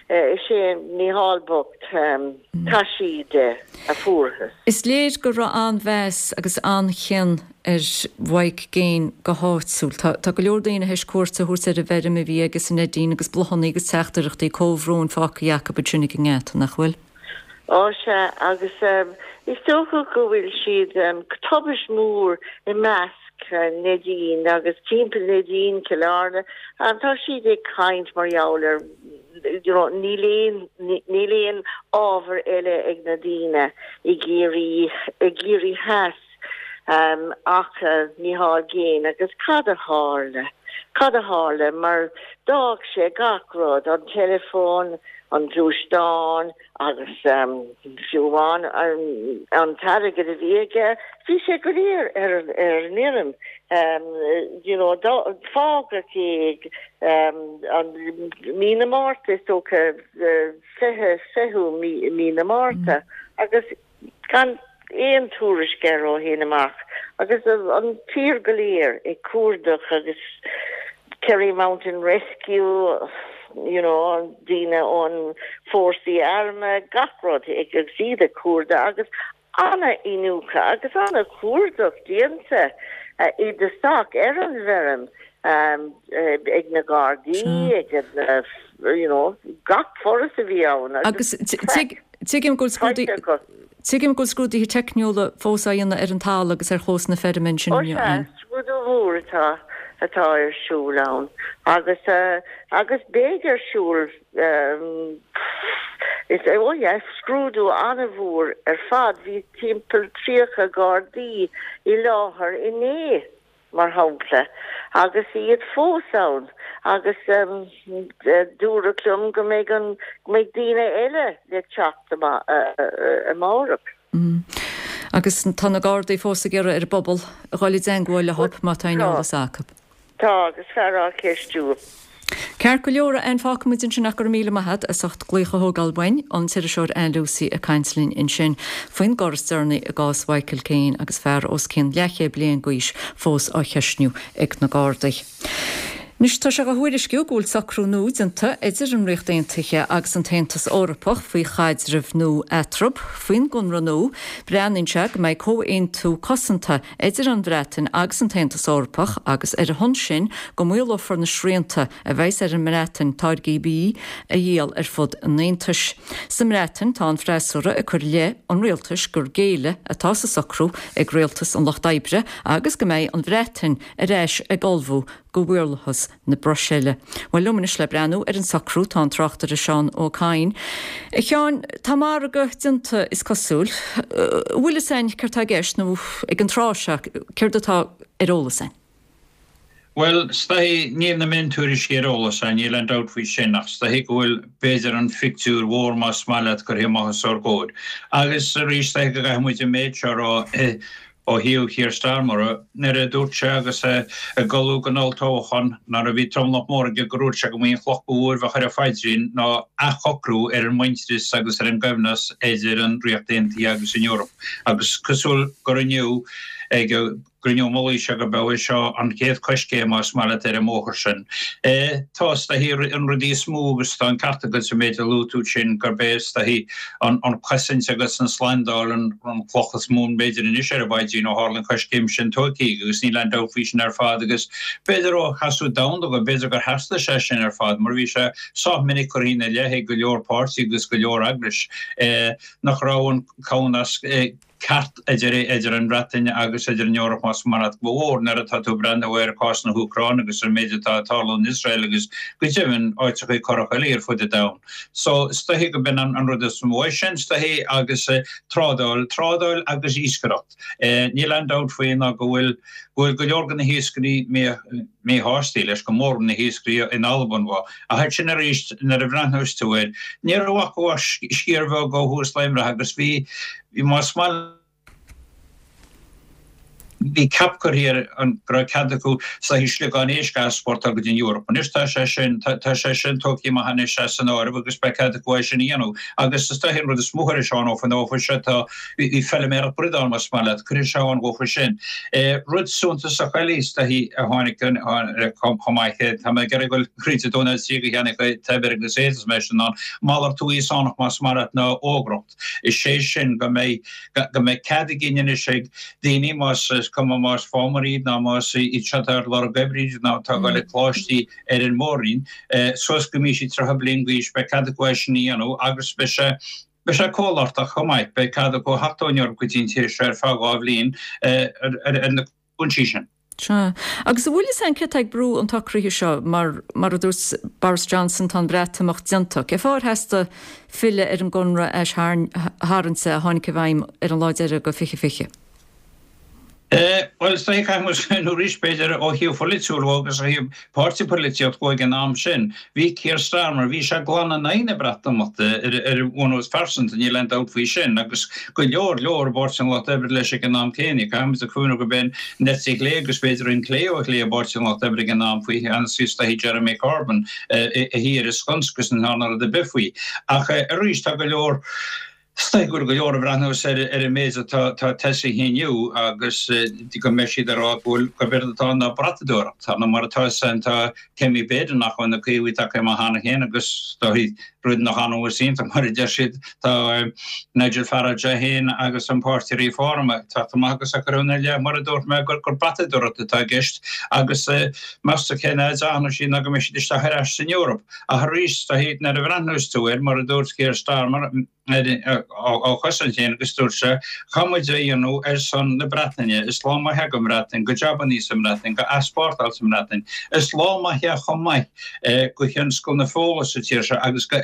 is é Mícheál bocht taisí de a fuarthas.
Is léir go raibh an-mheas agus an-chion ar Mhike Gaine go háitiúil. Tá go leor daoine théis cuairt a thabhairt ar an bhfeirm a bhí aige sa Neidín agus bláthanna agus teachtaireachtaí comhbhróin fágtha acu ansin ag an ngeata, nach bhfuil?
Ó sea, agus is dócha go bhfuil siad, tubaist mhór i measc Neidín agus timpeall Neidín, Cill Airne, tá siad ag caint mar gheall ar, you know, níl aon, níl aon ábhar eile ag na daoine i gCiarraí, i gCiarraí Theas ach Micheál Gaine agus cad a tharla? cad a tharla mar d'fhág sé gach rud, an teileafón, an gluaisteán agus fiú amháin an t-airgead a bhí aige, bhí sé go léir ar an ar an fheirm. You know, fágadh é ag mí na Márta is dócha, fiche, fichiú mí na Márta agus gan aon tuairisc air ó shin amach agus an tír go léir ag cuardach agus Kerry Mountain Rescue, you know, daoine ón fórsaí armtha, gach rud ag agus iad ag cuardach agus an-iniúchadh agus an-chuardach déanta i dtosach ar an bhfeirm ag na Gardaí, ag na, you know, gach foras a bhí ann
agus tuigim go bhfuil Tuigim go bhfuil scrúduithe teicniúla fós á dhéanamh ar an talamh agus ar chlós na feirme ansin inniu.
Ó sea, scrúdú mór atá atá ar siúl ann agus agus beidh ar siúl is ó yeah, scrúdú an-mhór ar fad, bhí timpeall tríocha Gardaí i láthair inné. mar shampla, agus iad fós ann agus dúradh liom go mbeidh an, go mbeidh daoine eile le teacht amárach.
Agus tá na Gardaí fós ag iarraidh ar an bpobal a dhul i dteangmháil leo má tá aon eolas acu.
Tá, agus fear á cheistiú.
Ceart go leor, a Ann, fágfaidh muid ansin ach go raibh míle maith agat as ucht glaoch a thógáil uainn, an t-iriseoir Ann Lucey ag caint linn ansin faoin gcor is deireanaí i gcás Mhichael Kane agus fear os cionn leathchéad bliain d'aois fós á cheistniú ag na Gardaí. Anois tá sé á thuairisciú go bhfuil socrú nua déanta idir an Ríocht Aontaithe agus an tAontas Eorpach faoi chaidreamh nua eatarthu. Faoin gconradh nua, breathnaíonn sé go mbeidh comhaontú cosanta idir an Bhreatain agus an tAontas Eorpach agus ar a shon sin go maolófar na srianta a bheas ar an mBreatain táirgí bídh a dhíol ar fud an Aontais. Sa mBreatain tá an freasúra ag cur i leith an rialtais gur géilleadh atá sa socrú ag rialtas an Lucht Oibre agus go mbeidh an Bhreatain ar ais ag ullmhú go mhaorlathas na Bruiséile. Bhuel, liom anois le breathnú ar an socrú tá an tráchtaire Seán Ó Cadhain. A Sheáin, tá margadh déanta is cosúil. An bhfuil fhios againn céard tá i gceist nó ag an tráth seo céard atá ar eolas againn?
Bhuel, is dóichí, níl na miontuairiscí ar eolas againn, níl aon dabht faoi sin, ach is dóichí go bhfuil, b'fhéidir, an phictiúr mhór, más maith leat, curtha amach os ár gcomhair. Agus arís, is dóichí go gcaithfidh muid an méid seo a rá, Ó thaobh Keir Starmer, nuair a dúirt sé agus é ag ullmhú don olltoghchán, nuair a bhí tromlach mór aige, gur dhúirt sé go mb'í an chloch ba mhó a bheadh ar a phaidrín ná athshocrú ar an muintearas agus ar an gcoibhneas idir an Ríocht Aontaithe agus an Eoraip. Agus cosúil gur inniu ag an gcruinniú mullaigh seo go mbeadh seo an chéad choiscéim, más maith leat, ar an mbóthar sin. Tá, is dóichí, an rudaí is mó agus tá an ceart agat sa méid a luaigh tú sin, gurb é, is dóichí, an chosaint agus an tslándáil an chloch is mó, b'fhéidir, anois ar an bpaidrín ó tharla an choiscéim sin tógtha agus níl aon dabht faoi sin ar fad agus b'fhéidir ó sheasamh domhanda de, b'fhéidir gur theastaigh sé sin ar fad mar bhí sé sách minic curtha ina leith ag go leor páirtí agus go leor eagrais nach raibh an comhnasc ceart idir idir an Bhreatain agus idir an Eoraip más maith leat, go mór nuair atá tú ag breathnú ar chás na hÚcráine agus ar an méid atá ag tarlú in Iosrael agus go deimhin áiteachaí corrach eile ar fud an domhain. So is dóichí go b'in an rud is mó é sin, is dóichí, agus trádáil, trádáil agus iascaireacht. Níl aon dabht faoi ná go bhfuil go bhfuil go leor de na hiascairí míshásta leis, go mór na hiascairí in Albain. Ach ansin arís nuair a bhreathnós tú air, ní raibh ach sciar bheag ó thús le imeacht agus bhí Más maith bhí cap curtha ar an go raibh cead acu saghas sliogán éisc a easpórtáil go dtí an Eoraip. Anois tá sé sin, tá sé sin tógtha amach anois as an áireamh agus beidh cead acu é sin a dhéanamh. Agus is dóichí an rud is mó a chuir Seán Ó Fionn seo tá, bhí feiliméaracht bradán más maith leat, cuirfidh sé ann dhófa sin. Rud suntasach eile is dóichí a tháinig chomh maith, tá mé ag iarraidh dul thríd a dó nó a trí go cheannaigh Teibir agus Éadas mé sin ann, malartú Íosánach más maith leat ná ógracht. Is é sin go mbeidh go mbeidh cead againn anois ag daoine, más is cuma más fámairí iad ná más iad seo atá ar lorg oibre iad ná atá ag dul ag coláistí ar an Mór-Roinn, suas go mbí siad tríocha bliain d'aois, beidh cead acu é sin a dhéanamh agus beidh sé beidh sé cómhalartach chomh maith, beidh cead acu theacht ón Eoraip go dtí an tír seo ar feadh dhá bhliain ar na cúinsí sin.
Sea. Agus an bhfuil fhios againn céard atá ag brú an tsocraithe seo? Mar, mar a dúirt Boris Johnson, tá an Breatimeacht déanta. Cén fáth ar theastaigh filleadh ar an gconradh aistharraingte a tháinig i bhfeidhm ar an lá deiridh de fiche fiche?
Bhuel, is dóiche caithfidh muid smaoineamh arís, b'fhéidir, ó thaobh pholaitiúil dhó agus ó thaobh páirtí polaitíocht dhó ag an am sin. Bhí Keir Starmer, bhí sé glan in aghaidh na Breatimeachta ar bhunús pearsanta, níl aon dabht faoi sin, agus go leor leor i bPáirtí an Lucht Oibre leis ag an am céanna. Caithfidh muid a chuimhneamh gurb é an eite chlé agus b'fhéidir an clé ó chlé i bPáirtí an Lucht Oibre ag an am faoi cheannas is dóiche Jeremy Corbyn a shuigh ar an sconsa agus ní ndearna rud ar bith faoi. Ach arís tá go leor. Is dóigh go bhfuil go leor ag breathnú ar an méid atá tosaithe inniu agus go mbeidh siad ag rá go bhfuil gurb éard atá ann ná brathadóireacht. Tá nó mar atá is tá Kemi Badenoch ó na Caomhaigh tagtha amach cheana féin agus tá rud nach annamh is iontach mar a deir siad tá Nigel Farage é féin agus an páirtí Reform ag teacht amach agus ag cur ina leith mar a dúirt mé gur brathadóireacht atá i gceist agus meas tú cén fhad a fhanfaidh siad ná go mbeidh siad isteach ar ais san Eoraip. Ach arís tá nuair a bhreathnós tú air mar a dúirt Keir Starmer á chosaint féin agus dúirt sé, Caithfidh muid é a dhéanamh ar son na Breataine, is lá maith é don Bhreatain, do jabannaí sa mBreatain, do easpórtáil sa mBreatain. Is lá maith é chomh maith do thionscal na feola sa tír seo agus do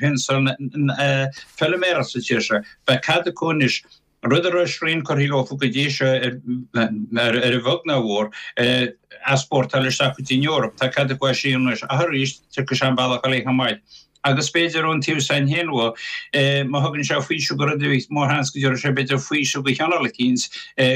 thionscal na feilméarachta sa tír seo. Beidh cead acu anois rud a raibh srian curtha leofa go dtí seo ar a bheag ná a mhór, easpórtáil isteach go dtí an Eoraip. Tá cead acu é sin anois ach arís tiocfaidh sé an bealach eile chomh maith. Agus b'fhéidir ón taobh san féin dhó, má thugann sé faoiseamh go rudaí, mórsheans go dtabharfaidh sé b'fhéidir faoiseamh go chineál eicínt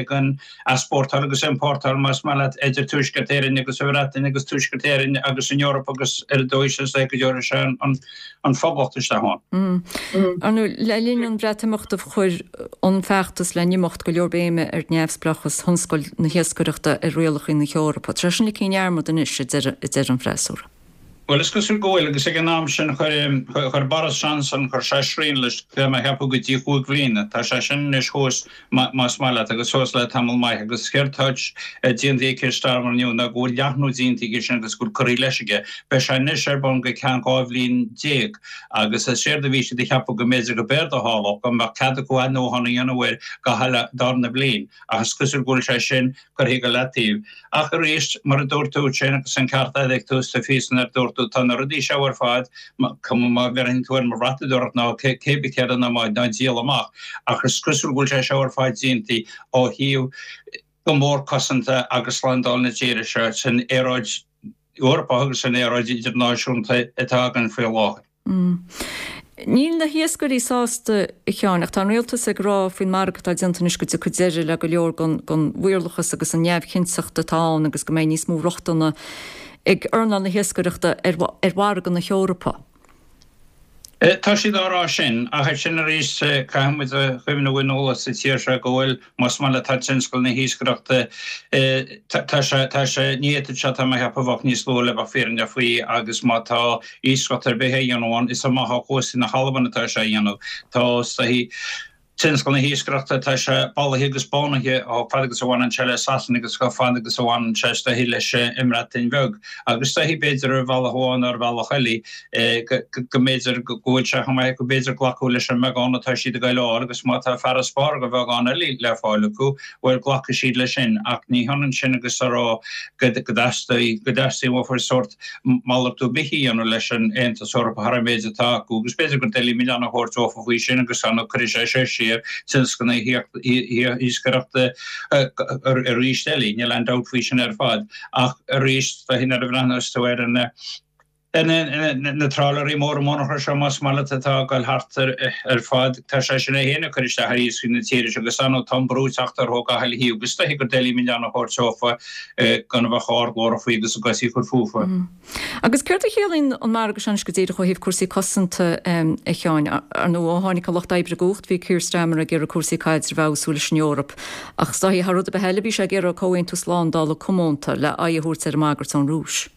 den easpórtáil agus iompórtáil más maith leat idir Tuaisceart Éireann agus an Bhreatain agus Tuaisceart Éireann agus an Eoraip agus ar an dóigh sin is dóigh go dtabharfaidh sé an Phoblacht isteach
ann. Ar ndóigh, le linn an Bhreatimeachta chuir an feachtas le n-imeacht go leor béime ar neamhspleáchas thionscal na hiascaireachta ar rialacha na hEorpa. Tá sé sin ligthe i ndearmad anois, a deir an freasúra.
Bhuel, is cosúil go bhfuil, agus ag an am sin chuir, chuir Boris Johnson, chuir sé srian leis, bhí mé a cheapadh go dtí chúig bhliana. Tá sé sin anois thuas, más maith leat, agus suas le tamall maith, agus céard atá déanta ag Keir Starmer inniu ná go bhfuil leathnú déanta aige sin agus go bhfuil curtha leis aige. Beidh sé anois ar bun go ceann dhá bhliain déag, agus is éard a bhí siad a cheapadh go mb'fhéidir go b'éard a tharlódh, go mbeadh cead acu athnuachan a dhéanamh air gach uile darna bliain, ach is cosúil go bhfuil sé sin curtha go leataobh. Ach arís, mar a dúirt tú ansin, agus an ceart agat ag tús do phíosa nuair a dúirt tú, tá na rudaí seo ar fad, cuma má bhreathnaíonn tú air mar bhratadóireacht nó cé bith céard ná má ná díol amach, ach is cosúil go bhfuil sé seo ar fad déanta ó thaobh go mór cosanta agus slándáil na tíre seo san aeráid Eorpach agus san aeráid idirnáisiúnta atá againn faoi láthair.
Níl na hiascairí sásta, a Sheáin, ach tá an rialtas ag rá faoin margadh atá déanta anois go dtiocfaidh deireadh le go leor den mhaorlathas agus an neamhchinnteacht atá ann agus go mbeidh níos mó rochtana ag earnáil na hiascaireachta ar mhargadh na hEorpa.
Tá siad á rá sin, ach ansin arís caithfidh muid a chuimhneamh in eolas sa tír seo go bhfuil, más maith leat, tá tionscal na hiascaireachta, tá sé, tá sé, ní fhéadfadh sé, tá mé a cheapadh, bheadh níos lú le bheith fírinneach faoi agus má tá iascaireacht ar bith á dhéanamh ann, is amach ó chóstaí na hAlban atá sé á dhéanamh. Tá tionscal na hiascaireachta, tá sé ballaithe agus bánaithe chomh fada agus a bhaineann sé le Sasana agus chomh fada agus a bhaineann sé is dóichí leis an mBreatain Bheag. Agus is dóichí, b'fhéidir ar bhealach amháin nó ar bhealach eile, go mb'fhéidir go bhfuil sé chomh maith acu b'fhéidir glacadh leis an mbeagán atá siad ag goil a fháil agus má tá farasbarr de bheagán eile le fáil acu, bhuel, glacfaidh siad leis sin. Ach ní hionann sin agus a rá go dteastaíonn uafa sórt malartú ar bith a dhéanamh leis an Aontas Eorpach thar an méid atá acu agus b'fhéidir gur doiligh milleán a thabhairt dófa faoi sin agus ar ndóigh cuirfidh sé seo siar tionscal na hiascaireachta arís eile, níl aon dabht faoi sin ar fad. Ach arís, nuair a bhreathnós tú ar na na trálaeirí móra monarcha seo, más maith leat, atá ag dul thart ar fad, tá sé sin é féin ag cur isteach ar iascaigh na tíre seo agus ar ndóigh tá an brú ag teacht orthu ó gach uile thaobh agus is dóichí gur doiligh milleán a thabhairt dófa gan a bheith chomh hardghlórach faoi agus a gcosaí a chur fúfa.
Agus céard a chiallaíonn an margadh seo anois go díreach ó thaobh cúrsaí cosanta, a Sheáin? Ar ndóigh, ó tháinig an Lucht Oibre i gcumhacht, bhí Keir Starmer ag iarraidh cúrsaí caidrimh a fheabhsú leis an Eoraip. Ach is dóichí, thar rud ar bith eile, bhí sé ag iarraidh comhaontú slándála comónta le aghaidh a thabhairt ar an mbagairt ón Rúis.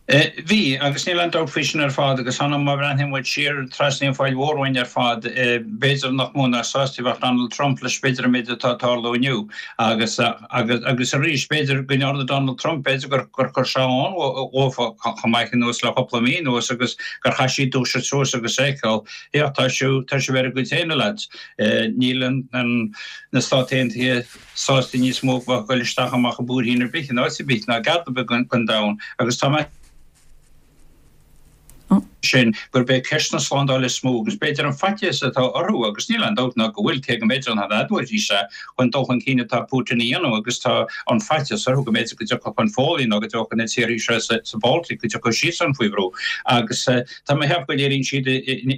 Bhí, agus níl aon dabht faoi sin ar fad, agus ar ndóigh má bhreathnaíonn muid siar trasna an Phoill Mhóir uainn ar fad, b'fhéidir nach mó ná sásta a bheadh Donald Trump leis b'fhéidir an méid atá ag tarlú inniu. Agus, agus, agus arís, b'fhéidir go ndearna Donald Trump, b'fhéidir gur, gur chuir sé ann dhófa chomh maith anuas le cúpla mí anuas agus gur chaith siad dúiseacht suas agus feiceáil, féach, tá sibh, tá sibh ar bhur gcuid féin, a lads. Níl an, an, na Stáit Aontaithe sásta níos mó bheith ag dul isteach amach i mbuairthín ar bith, in áit ar bith, ná i gceard ar bith den domhan. Agus tá mé sin gurb é ceist na slándála is mó agus b'fhéidir an faitíos atá orthu agus níl aon dabht ná go bhfuil cé go mb'fhéidir an admhaíonn sé chun dul chun cinn atá Putin a dhéanamh agus tá an faitíos orthu go mb'fhéidir go dtiocfadh an Pholainn nó go dtiocfadh na tíortha seo sa Baltic go dtiocfadh siadsan faoi bhrú agus tá mé ag ceapadh go léiríonn siad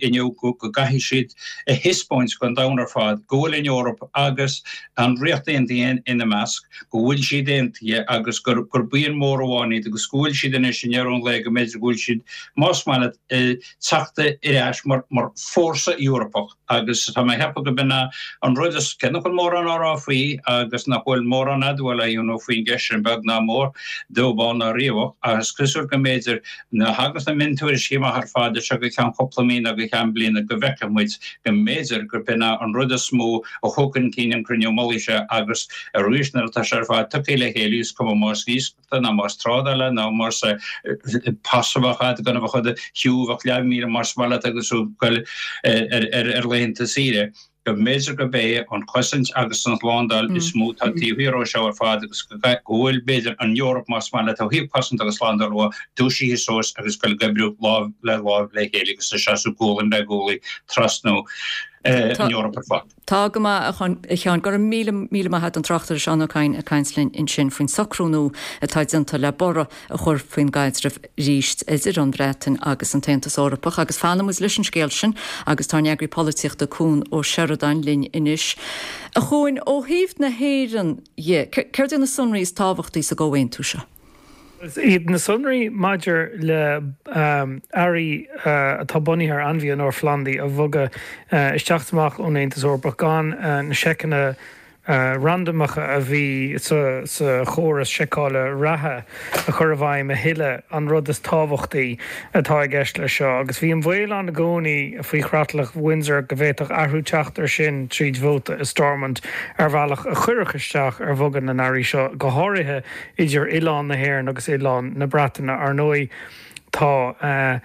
inniu go gcaithfidh siad a thaispeáint don domhan ar fad go bhfuil an Eoraip agus an Ríocht Aontaithe ina measc, go bhfuil siad aontaithe agus gur buíon mór amháin iad agus go bhfuil siad anois i ndeireadh an lae go mb'fhéidir go bhfuil siad, más maith leat, ag teacht ar ais mar fórsa Eorpach agus tá mé ag ceapadh go b'in an rud is, cé nach bhfuil mórán á rá faoi agus nach bhfuil mórán admháil á dhéanamh faoin gceist sin beag ná mór, dubh bán ná riabhach, ach is cosúil go mb'fhéidir nuair a thagas na miontuairiscí amach ar fad as seo go ceann cúpla mí nó go ceann bliana go bhfeicfidh muid go mb'fhéidir gurb in an rud is mó a thug chun cinn an cruinniú mullaigh seo agus arís nuair atá sé ar fad tugtha le chéile is cuma más iascaireachta ná más trádála ná más pas a bheadh agat gan a bheith i do shiúl ach leathmhíle más maith leat agus tú ag goil ar laethanta saoire. go mb'fhéidir gurb é an chosaint agus an tslándáil is mó atá taobh thiar ó seo ar fad agus go bhfuil, b'fhéidir, an Eoraip, más maith leat, ó thaobh cosaint agus slándáil dhe, dúisithe suas agus ag goil ag oibriú lámh le láimh le chéile agus ag seasamh gualainn le gualainn trasna an Eoraip ar fad.
Tá go maith, a Sheáin. Go raibh míle míle maith agat an tráchtaire Seán Ó Cadhain ag caint linn ansin faoin socrú nua atá déanta le borradh a chur faoin gcaidreamh arís idir an Bhreatain agus an tAontas Eorpach. Agus fanfaidh muid leis an scéal sin agus tá ár n-eagraí polaitíochta Cuan Ó Seireadáin linn anois. A Chuain, ó thaobh na hÉireann dhe, céard iad na sonraí is tábhachtaí sa gcomhaontú seo?
Is iad na sonraí maidir le earraí atá bunaithe ar ainmhithe nó ar phlandaí a bhogadh isteach is amach ón Aontas Eorpach gan na seiceanna randamacha a bhí sa chóras seiceála reatha a chur i bhfeidhm a thuilleadh an rud is tábhachtaí atá i gceist leis seo agus bhí an baol ann i gcónaí faoi chreatlach Windsor go bhféadfadh athrú teacht air sin tríd vóta i Stormont ar bhealach a chuirfeadh isteach ar bhogadh na n-earraí seo, go háirithe idir oileán na hÉireann agus oileán na Breataine. Ar ndóigh tá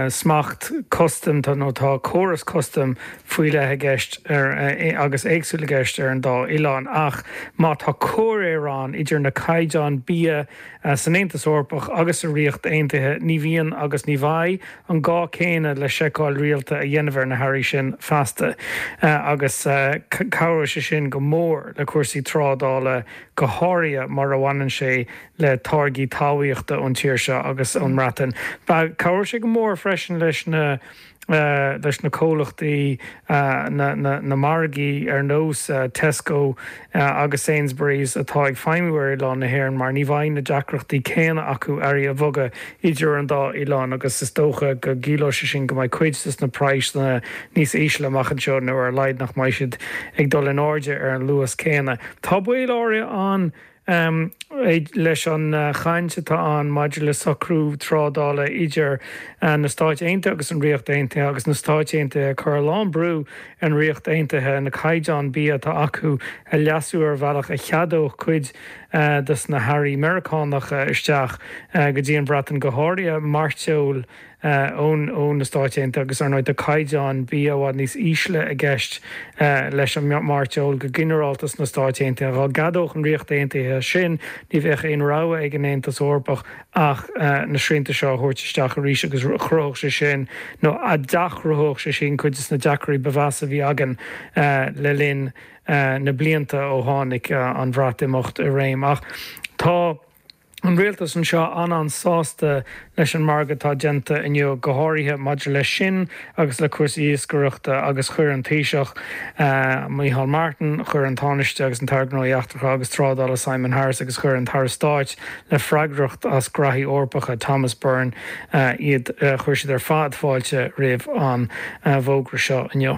smacht custaim nó tá córas custaim faoi leith i gceist ar agus éagsúil i gceist ar an dá oileán ach má tá comhréir ann idir na caighdeáin bia san Aontas Eorpach agus sa Ríocht Aontaithe ní bhíonn agus ní bheidh an gá céanna le seiceáil rialta a dhéanamh ar na hearraí sin feasta agus cabhróidh sé sin go mór le cúrsaí trádála go háirithe mar a bhaineann sé le táirgí talmhaíochta ón tír seo agus ón mBreatain. Cabhróidh sé go mór freisin leis na leis na comhlachtaí, na na margaí ar nós Tesco agus Sainsbury's atá ag feidhmiú ar oileán na hÉireann mar ní bheidh na deacrachtaí céanna acu earraí a bhogadh idir an dá oileán agus is dócha go gciallóidh sé sin go mbeidh cuid de na praghsanna níos ísle amach anseo nó ar a laghad nach mbeidh siad ag dul in airde ar an luas céanna. Tá baol áirithe ann leis an chaint atá ann maidir le socrú trádála idir na Stáit Aontaithe agus an Ríocht Aontaithe agus na Stáit Aontaithe ag cur a lán brú ar an Ríocht Aontaithe na caighdeáin bia atá acu a leasú ar bhealach a cheadódh cuid de na hearraí Meiriceánacha isteach go dtí an Bhreatain, go háirithe mairteoil. ó na Stáit Aontaithe agus ar ndóigh tá caighdeáin bia i bhfad níos ísle i gceist leis an mairteoil go ginearálta sna Stáit Aontaithe. Dá gceadódh an Ríocht Aontaithe sin, ní bheadh aon rogha ag an Aontas Eorpach ach na srianta seo a thabhairt isteach arís agus chruthódh sé sin, nó d'athchruthódh sé sin cuid de na deacrachtaí ba mheasa a bhí againn le linn na blianta ó tháinig an Bhreatimeacht i réim. Ach tá. an rialtas anseo an-an-sásta leis an margadh atá déanta inniu, go háirithe maidir leis sin agus le cúrsaí iascaireachta agus chuir an Taoiseach, Micheál Martin, chuir an Tánaiste agus an tAire Gnóthaí Eachtracha agus Trádála Simon Harris agus chuir an tAire Stáit le freagracht as Graithí Eorpacha Thomas Byrne iad, chuir siad ar fad fáilte roimh an bhfógra seo inniu.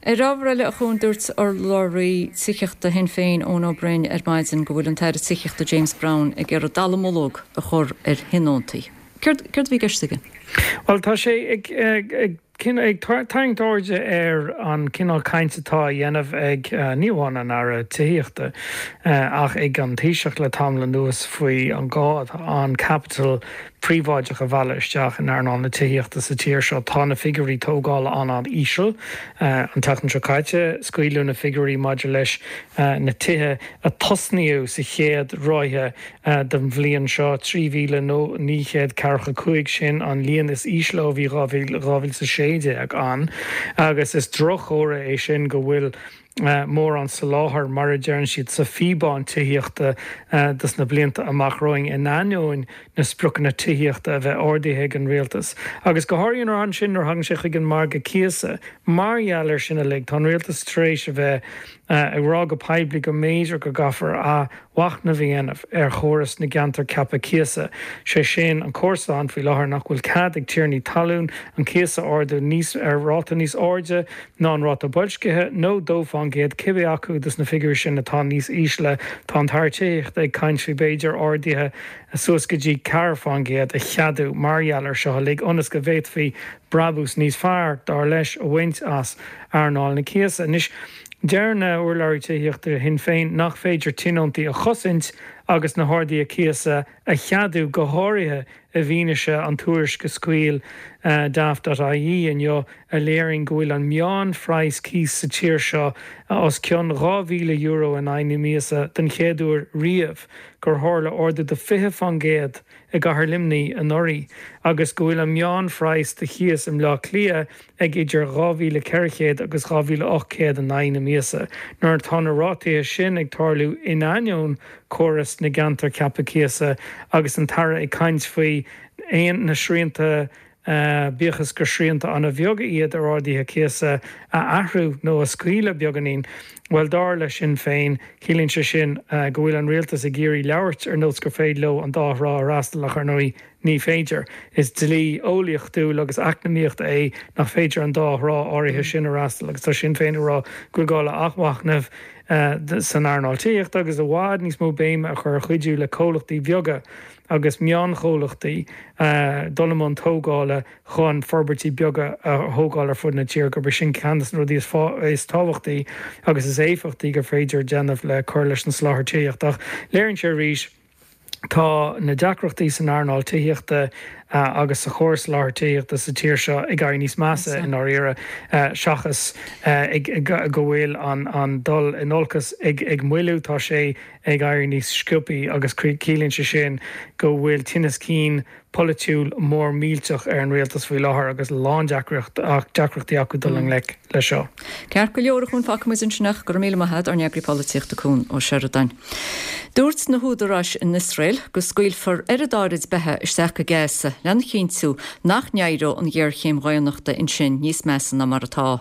Ar ábhar eile, a Chuain, dúirt urlabhraí tithíochta Shinn Féin, Eoin Ó Broin, ar maidin go bhfuil an tAire Tithíochta James Browne ag iarraidh dallamullóg a chur ar thionóntaí. Céard a bhí i gceist aige?
Bhuel, tá sé ag ag tarraingt airde ar an cineál cainte atá á dhéanamh ag, ní amháin an Aire Tithíochta, ach ag an Taoiseach le tamall anuas faoi an gá atá ann caipiteal príobháideach a mhealladh isteach in earnáil na tithíochta sa tír seo. Tá na figiúirí tógála an-an-íseal. An tseachtain seo caite, scaoileadh na figiúirí maidir leis na tithe a tosnaíodh sa chéad ráithe den bhliain seo, trí mhíle naoi gcéad ceathracha cúig, sin an líon is ísle ó bhí dhá mhíle is a sé déag ann agus is droch-chomhartha é sin go bhfuil mórán soláthair, mar a deireann siad, sa phíobán tithíochta dos na blianta amach romhainn, in ainneoin na spriocanna tithíochta a bheith ardaithe ag an rialtas. Agus go háirithe ansin nuair a thagann sé chuig an margadh cíosa. Mar gheall air sin uilig, tá an rialtas tar éis a bheith ag rá go poiblí go mb'fhéidir go gcaithfear athmhachnamh a dhéanamh ar chóras na gceantar ceaptha cíosa, sé sin, an córas atá ann faoi láthair nach bhfuil cead ag tiarnaí talún an cíos a ardú níos ar ráta níos airde ná an ráta boilscithe nó dó fán gcéad, cibé acu dos na figiúirí sin atá níos ísle. Tá an tAire Tithíochta ag caint faoi b'fhéidir arduithe suas go dtí ceathair fán gcéad a cheadú mar gheall air seo uilig ionas go bhféadfaí brabús níos fearr, dar leis, a bhaint as earnáil na cíosa. Anois, deir na hurlabhraí tithíochta Shinn Féin nach féidir tionóntaí a chosaint agus na harduithe cíosa a cheadú, go háirithe i bhfianaise an tuairisc a scaoil Daft.ie inniu a léiríonn go bhfuil an meánphraghas cíos sa tír seo os cionn dhá mhíle euro in aghaidh na míosa den chéad uair riamh, gur tharla ardú de fiche fán gcéad i gcathair Luimnigh anuraidh agus go bhfuil an meánphraghas do chíos i mBleá Cliath ag idir dhá mhíle ceithre chéad agus dhá mhíle ocht gcéad in aghaidh na míosa. Nuair atá na rátaithe sin ag tarlú in ainneoin córas na gceantar ceaptha cíosa agus an tAire ag caint faoi aon na srianta, bíodh is gur srianta an-bheaga iad ar arduithe cíosa a athrú nó a scaoileadh beagáinín, bhuel, dar le Sinn Féin, ciallaíonn sé sin go bhfuil an rialtas ag iarraidh labhairt ar nós gur féidir leo an dá thrá a fhreastal ach, ar ndóigh, ní féidir. Is dlí eolaíochtúil agus eacnamaíochta é nach féidir an dá thrá áirithe sin a fhreastal agus tá Sinn Féin ag rá go bhfuil gá le athmhachnamh san earnáil tithíochta agus i bhfad níos mó béime a chur ar chuidiú le comhlachtaí beaga agus meánchomhlachtaí dul i mbun tógála chun forbairtí beaga a thógáil ar fud na tíre, gurb é sin ceann de na rudaí is tábhachtaí agus is éifeachtaí gur féidir déanamh le cur leis an soláthar tithíochta. Ach léiríonn sé arís, tá na deacrachtaí san earnáil tithíochta agus sa chóras soláthair tithíochta sa tír seo ag éirí níos measa i ndáiríre, seachas go bhfuil an dul in olcas ag moilliú, tá sé ag éirí níos sciobthaí agus ciallaíonn sé sin go bhfuil tinneas cinn polaitiúil mór millteach ar an rialtas faoi láthair agus a lán deacrachtaí acu dul i ngleic leis seo.
Ceart go leor, a Chuain, fágfaidh muid ansin é. Go raibh míle maith agat, ár n-eagraí polaitíochta Cuan Ó Seireadáin. Dúirt na húdaráis in Iosrael go scaoilfear oiread áirid beatha isteach go Gaza lena chinntiú nach n-éireodh an ghéarchéim dhaonnachta ansin níos measa ná mar atá.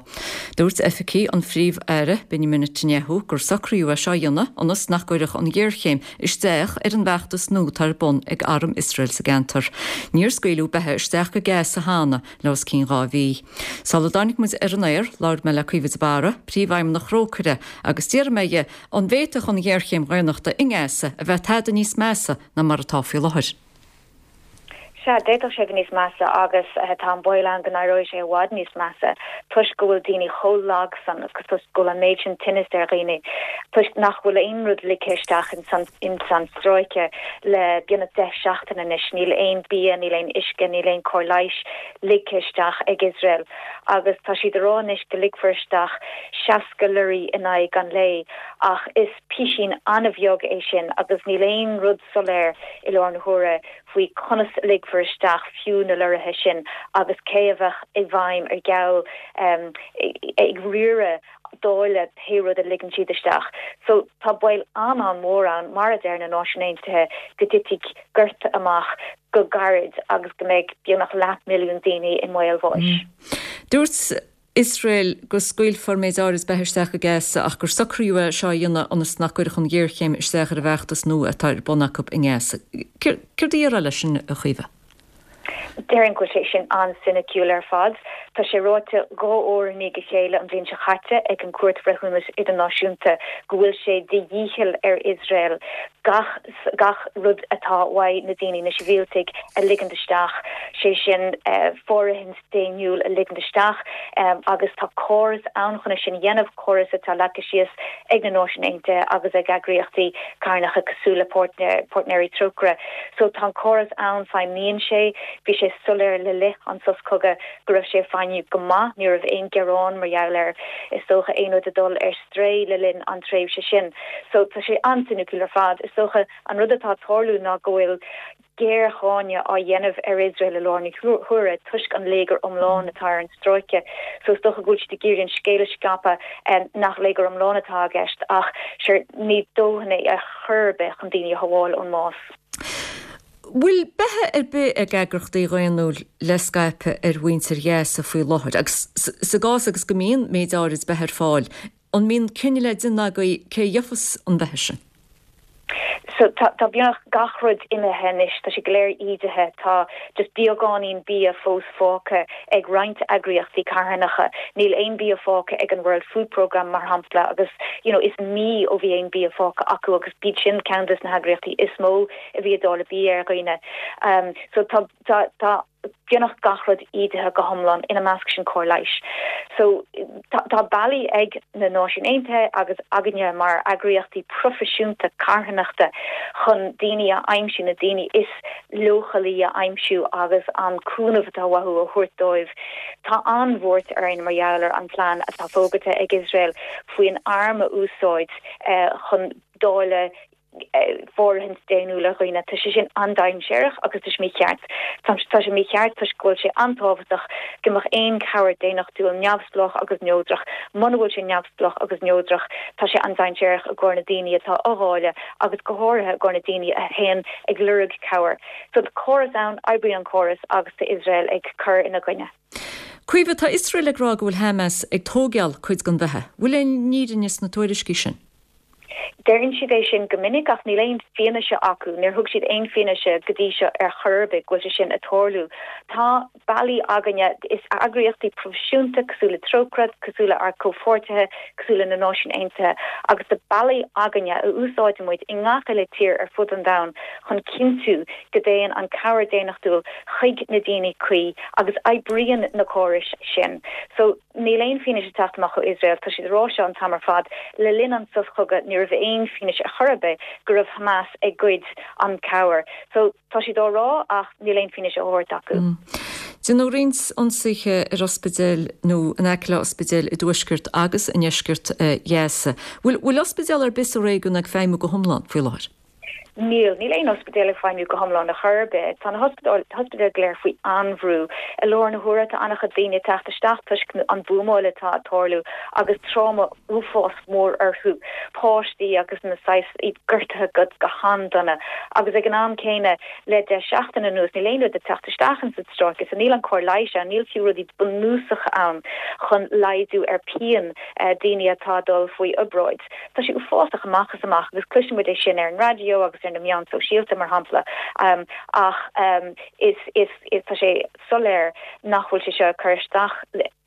Dúirt oifigigh an Phríomh-Aire Benjamin Netanyahu gur socraíodh é seo a dhéanamh ionas nach gcuirfeadh an ghéarchéim isteach ar an bhfeachtas nua atá ar bun ag arm Iosrael sa gceantar. Níor scaoileadh beatha isteach go Gaza cheana le os cionn dhá mhí. Sula dtáinig muid ar an aer, labhair mé le Caoimhe de Barra, Príomhfheidhmeannach Thrócaire, agus d'iarr mé dhi an bhféadfadh an ghéarchéim dhaonnachta i nGaza a bheith tada níos measa ná mar atá faoi láthair.
Sea, d'fhéadfadh sé bheith níos measa agus tá an baol ann go n-éireoidh sé i bhfad níos measa toisc go bhfuil daoine chomh lag san agus toisc go bhfuil an méid sin tinnis ar dhaoine toisc nach bhfuil aon rud ligthe isteach ins an stráice le beagnach deich seachtain anois. Níl aon bia, níl aon uisce, níl aon cóir leighis ligthe isteach ag Iosrael agus tá siad a rá anois go ligfear isteach seasca lorry in aghaidh an lae ach is písín an-bheag é sin agus níl aon rud soiléir i láthair na huaire faoi conas a ligfear isteach fiú na lorraithe sin agus cé a bheadh i bhfeidhm ar gheall ag riaradh dáileadh pé rud a ligeann siad isteach. So tá baol an-an-mhór ann, mar a deir na Náisiúin Aontaithe, go dtitfidh gorta amach go gairid agus go mbeidh beagnach leathmhilliún daoine i mbaol bháis.
Dúirt Iosrael go scaoilfear méid áirid beatha isteach go Gaza ach gur socraíodh é seo a dhéanamh ionas nach gcuirfeadh an ghéarchéim isteach ar an bhfeachtas nua atá ar bun acu i nGaza. Céard a déarfá leis sin, a Chaoimhe?
Déarfainn go bhfuil sé sin an-soiniciúil ar fad. Tá sé ráite dhá uair i ndiaidh a chéile an bhliain seo chaite ag an Cúirt Bhreithiúnais Idirnáisiúnta go bhfuil sé de dhícheall ar Iosrael gach gach rud atá uaidh na daoine, na sibhialtaigh, a ligint isteach, sé sin fóirithint daonnúil a ligint isteach agus tá córas ann chun é sin a dhéanamh, córas atá leagtha síos ag na Náisiúin Aontaithe agus ag eagraíochtaí carthanacha cosúil le Páirtnéirí Trócaire. So tá an córas ann, feidhmíonn sé, bhí sé soiléir le linn an sos cogaidh go raibh sé ag feidhmiú go maith, ní raibh aon ghearán mar gheall air, is dócha, aon rud ag dul ar strae le linn an tréimhse sin. So tá sé an-soiniciúil ar fad. Is dócha an rud atá ag tarlú ná go bhfuil géarcháineadh á dhéanamh ar Iosrael i láthair na huaire toisc an léigear iomlán atá ar an stráice. So is dócha go bhfuil siad ag iarraidh an scéal a scaipeadh nach léigear iomlán atá i gceist ach sure ní dóthain é ar chor ar bith chun daoine a shábháil ón mbás.
Bhfuil beatha ar bith ag eagraíochtaí dhaonnúil le scaipeadh ar mhuintir Ghaza faoi láthair agus sa gcás agus go mbíonn méid áirid beatha ar fáil, an mbíonn cinneadh le déanamh agaibh cé a gheofas an bheatha sin?
So tá tá beagnach gach rud imithe anois, tá sé go léir ídithe, tá just beagáinín bia fós fágtha ag roinnt eagraíochtaí carthanacha, níl aon bia fágtha ag an World Food Programme mar shampla agus you know is mí ó bhí aon bia fágtha acu agus b'iad sin ceann des na heagraíochtaí is mó a bhí ag dáileadh bia ar dhaoine. Um so tá tá tá beagnach gach rud ídithe go hiomlán, ina measc sin cóir leighis. So tá bealaí ag na Náisiúin Aontaithe agus againne mar eagraíochtaí proifisiúnta carthanachta chun daoine a aimsiú, na daoine is leochailí a aimsiú agus an cúnamh atá uathu a thabhairt dóibh. Tá an-bhuairt orainn mar gheall ar an plean atá fógartha ag Iosrael faoin arm a úsáid chun dáileadh fóirithint daonnúil ar dhaoine. Tá sé sin an-dainséarach agus tá sé mícheart. Tá sé mícheart toisc go bhfuil sé an-tábhachtach go mbeadh aon chabhair daonnachtúil neamhspleách agus neodrach. Muna bhfuil sé neamhspleách agus neodrach, tá sé an-dainséarach i gcomhair na daoine atá á dháileadh agus go háirithe i gcomhair na daoine a théann ag lorg cabhair. So tá córas ann, oibríonn an córas agus tá Iosrael ag cur ina gcoinne.
Caoimhe, tá Iosrael ag rá go bhfuil Hamas ag tógáil cuid den bheatha. Bhfuil aon fhírinne sna tuairiscí sin?
Deireann siad é sin go minic ach níl aon fianaise acu, níor thug siad aon fianaise go dtí seo ar chor ar bith go bhfuil sé sin ag tarlú. Tá bealaí againne, is eagraíochtaí proifisiúnta cosúil le Trócaire, cosúil le ár gcomhpháirtithe, cosúil le na Náisiúin Aontaithe, agus tá bealaí againne a úsáideann muid i ngach uile tír ar fud an domhain chun cinntiú go dtéann an cabhair daonnachtúil chuig na daoine cuí agus oibríonn na córais sin. So níl aon fianaise ag teacht amach ó Iosrael, tá siad ag rá seo an t-am ar fad. Le linn an sos chogaidh ní raibh aon fianaise ar chor ar bith go raibh Hamas ag goid an cabhair. So tá siad á rá ach níl aon fianaise á thabhairt acu.
Déanadh roinnt ionsaithe ar ospidéil nó in aice le ospidéil i dtuaisceart agus i ndeisceart Ghaza. Bhfuil ospidéal ar bith sa réigiún ag feidhmiú go hiomlán faoi láthair?
Níl. Níl aon ospidéal ag feidhmiú go hiomlán ar chor ar bith. Tá na hospidéil go léir faoi an-bhrú. I láthair na huaire tá an-chuid daoine ag teacht isteach toisc an bhuamáil atá ag tarlú agus tráma uafás mór orthu, páistí agus na saghas, iad gortaithe go go han-dona. Agus ag an am céanna le deich seachtain anuas níl aon rud ag teacht isteach ins an stráice so níl an cóir leighis ann, níl fiú rudaí bunúsacha ann chun laghdú ar pian daoine atá ag dul faoi obráid. Tá sé uafásach amach is amach agus cloiseann muid é sin ar an raidió agus ar na meáin sóisialta mar shampla ach is is is tá sé soiléir nach bhfuil sé seo ag cur isteach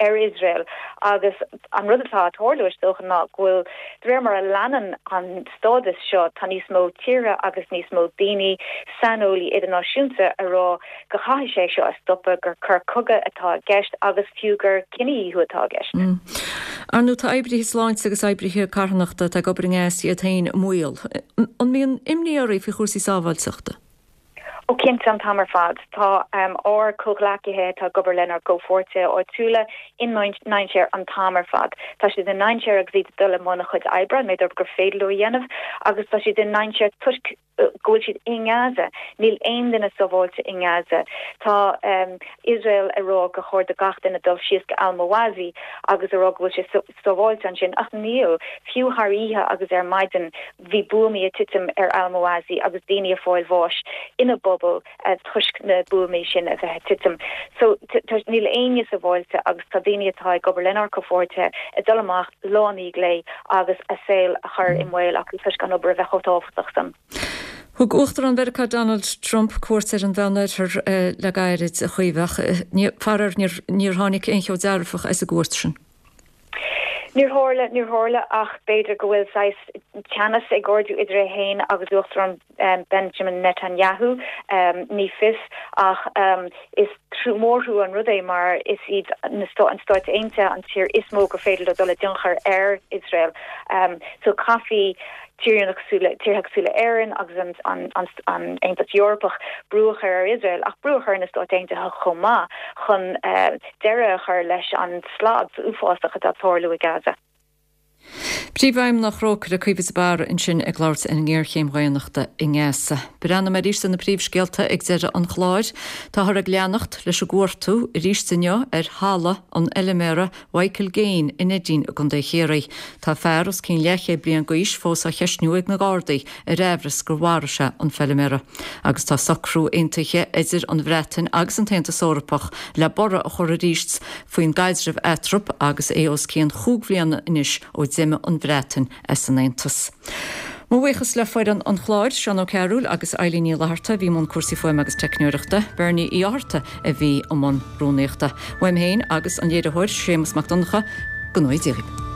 ar Iosrael agus an rud atá ag tarlú is dócha ná go bhfuil de réir mar a leanann an stádas seo tá níos mó tíortha agus níos mó daoine, saineolaí idirnáisiúnta a rá go chaithfidh sé seo a stopadh, gur coir cogaidh atá i gceist agus fiú gur cinedhíothú atá i gceist.
Ar ndóigh tá oibrithe sláinte agus oibrithe carthanachta atá ag obair i nGaza iad féin i mbaol. An mbíonn imní oraibh faoi chúrsaí sábháilteachta?
Ó cinnte, an t-am ar fad. Tá ár comhghleacaithe atá ag obair lenár gcomhpháirtithe áitiúla i ndainséar an t-am ar fad. Tá siad i ndainséar agus iad ag dul i mbun a chuid oibre, an méid oibre gur féidir leo a dhéanamh, agus tá siad i ndainséar toisc go bhfuil siad i nGaza. Níl aon duine sábháilte i nGaza. Tá Iosrael ag rá gur chóir do gach duine dul síos go Al-Mawasi agus a rá go bhfuil sé sábháilte ansin, ach níl. Fiú thar oíche agus ar maidin bhí buamaí ag titim ar Al-Mawasi agus daoine ag fáil bháis ina bpobal toisc na buamaí sin a bheith ag titim. So níl éinne sábháilte agus tá daoine atá ag obair lenár gcomhpháirtithe ag dul amach lá i ndiaidh lae agus a saol a chur i mbaol acu toisc an obair a bheith chomh tábhachtach san.
Thug Uachtarán Mheiriceá Donald Trump cuairt ar an Mheánoirthear le gairid, a Chaoimhe, ach faraor níor tháinig aon cheo dearfach as an gcuairt sin.
Níor tharla, níor tharla ach b'fhéidir go bhfuil saghas teannas ag ardú idir é féin agus Uachtarán Benjamin Netanyahu, ní fios, ach is mórthrua an rud é mar is iad na an Stáit Aontaithe an tír is mó gur féidir leo dul i dtionchar ar Iosrael. So caithfidh tíortha cosúil le tíortha cosúil le Éirinn agus an an an an Aontas Eorpach brú a chur ar Iosrael ach brú a chur ar na Stáit Aontaithe chomh maith chun deireadh a chur leis an slad uafásach atá ag tarlú i Gaza.
Príomhfheidhmeannach Thrócaire Caoimhe de Barra ansin ag labhairt ar an ngéarchéim dhaonnachta i nGaza. Breathnóimid arís ar na príomhscéalta ag deireadh an chláir. Táthar ag leanacht leis an gcuartú arís inniu ar thalamh an fheilméara Michael Gaine i Neidín i gContae Chiarraí. Tá fear os cionn leathchéad bliain d'aois fós á cheistniú ag na Gardaí ar aimhreas gur mharaigh sé an feilméara. Agus tá socrú aontaithe idir an Bhreatain agus an tAontas Eorpach le borradh a chur arís faoin gcaidreamh eatarthu agus é os cionn chúig bhliana anois ó d'imigh an Bhreatain as an Aontas. Mo bhuíochas le foireann an chláir, Seán Ó Cearúil agus Eilín Ní Fhlatharta a bhí i mbun cúrsaí fuaime agus teicneoireachta, Bernie Uí Fhátharta a bhí i mbun rúnaíochta. Uaim féin agus an léiritheoir Séamus Mac Donncha, go ngnóthaí Dia dhaoibh.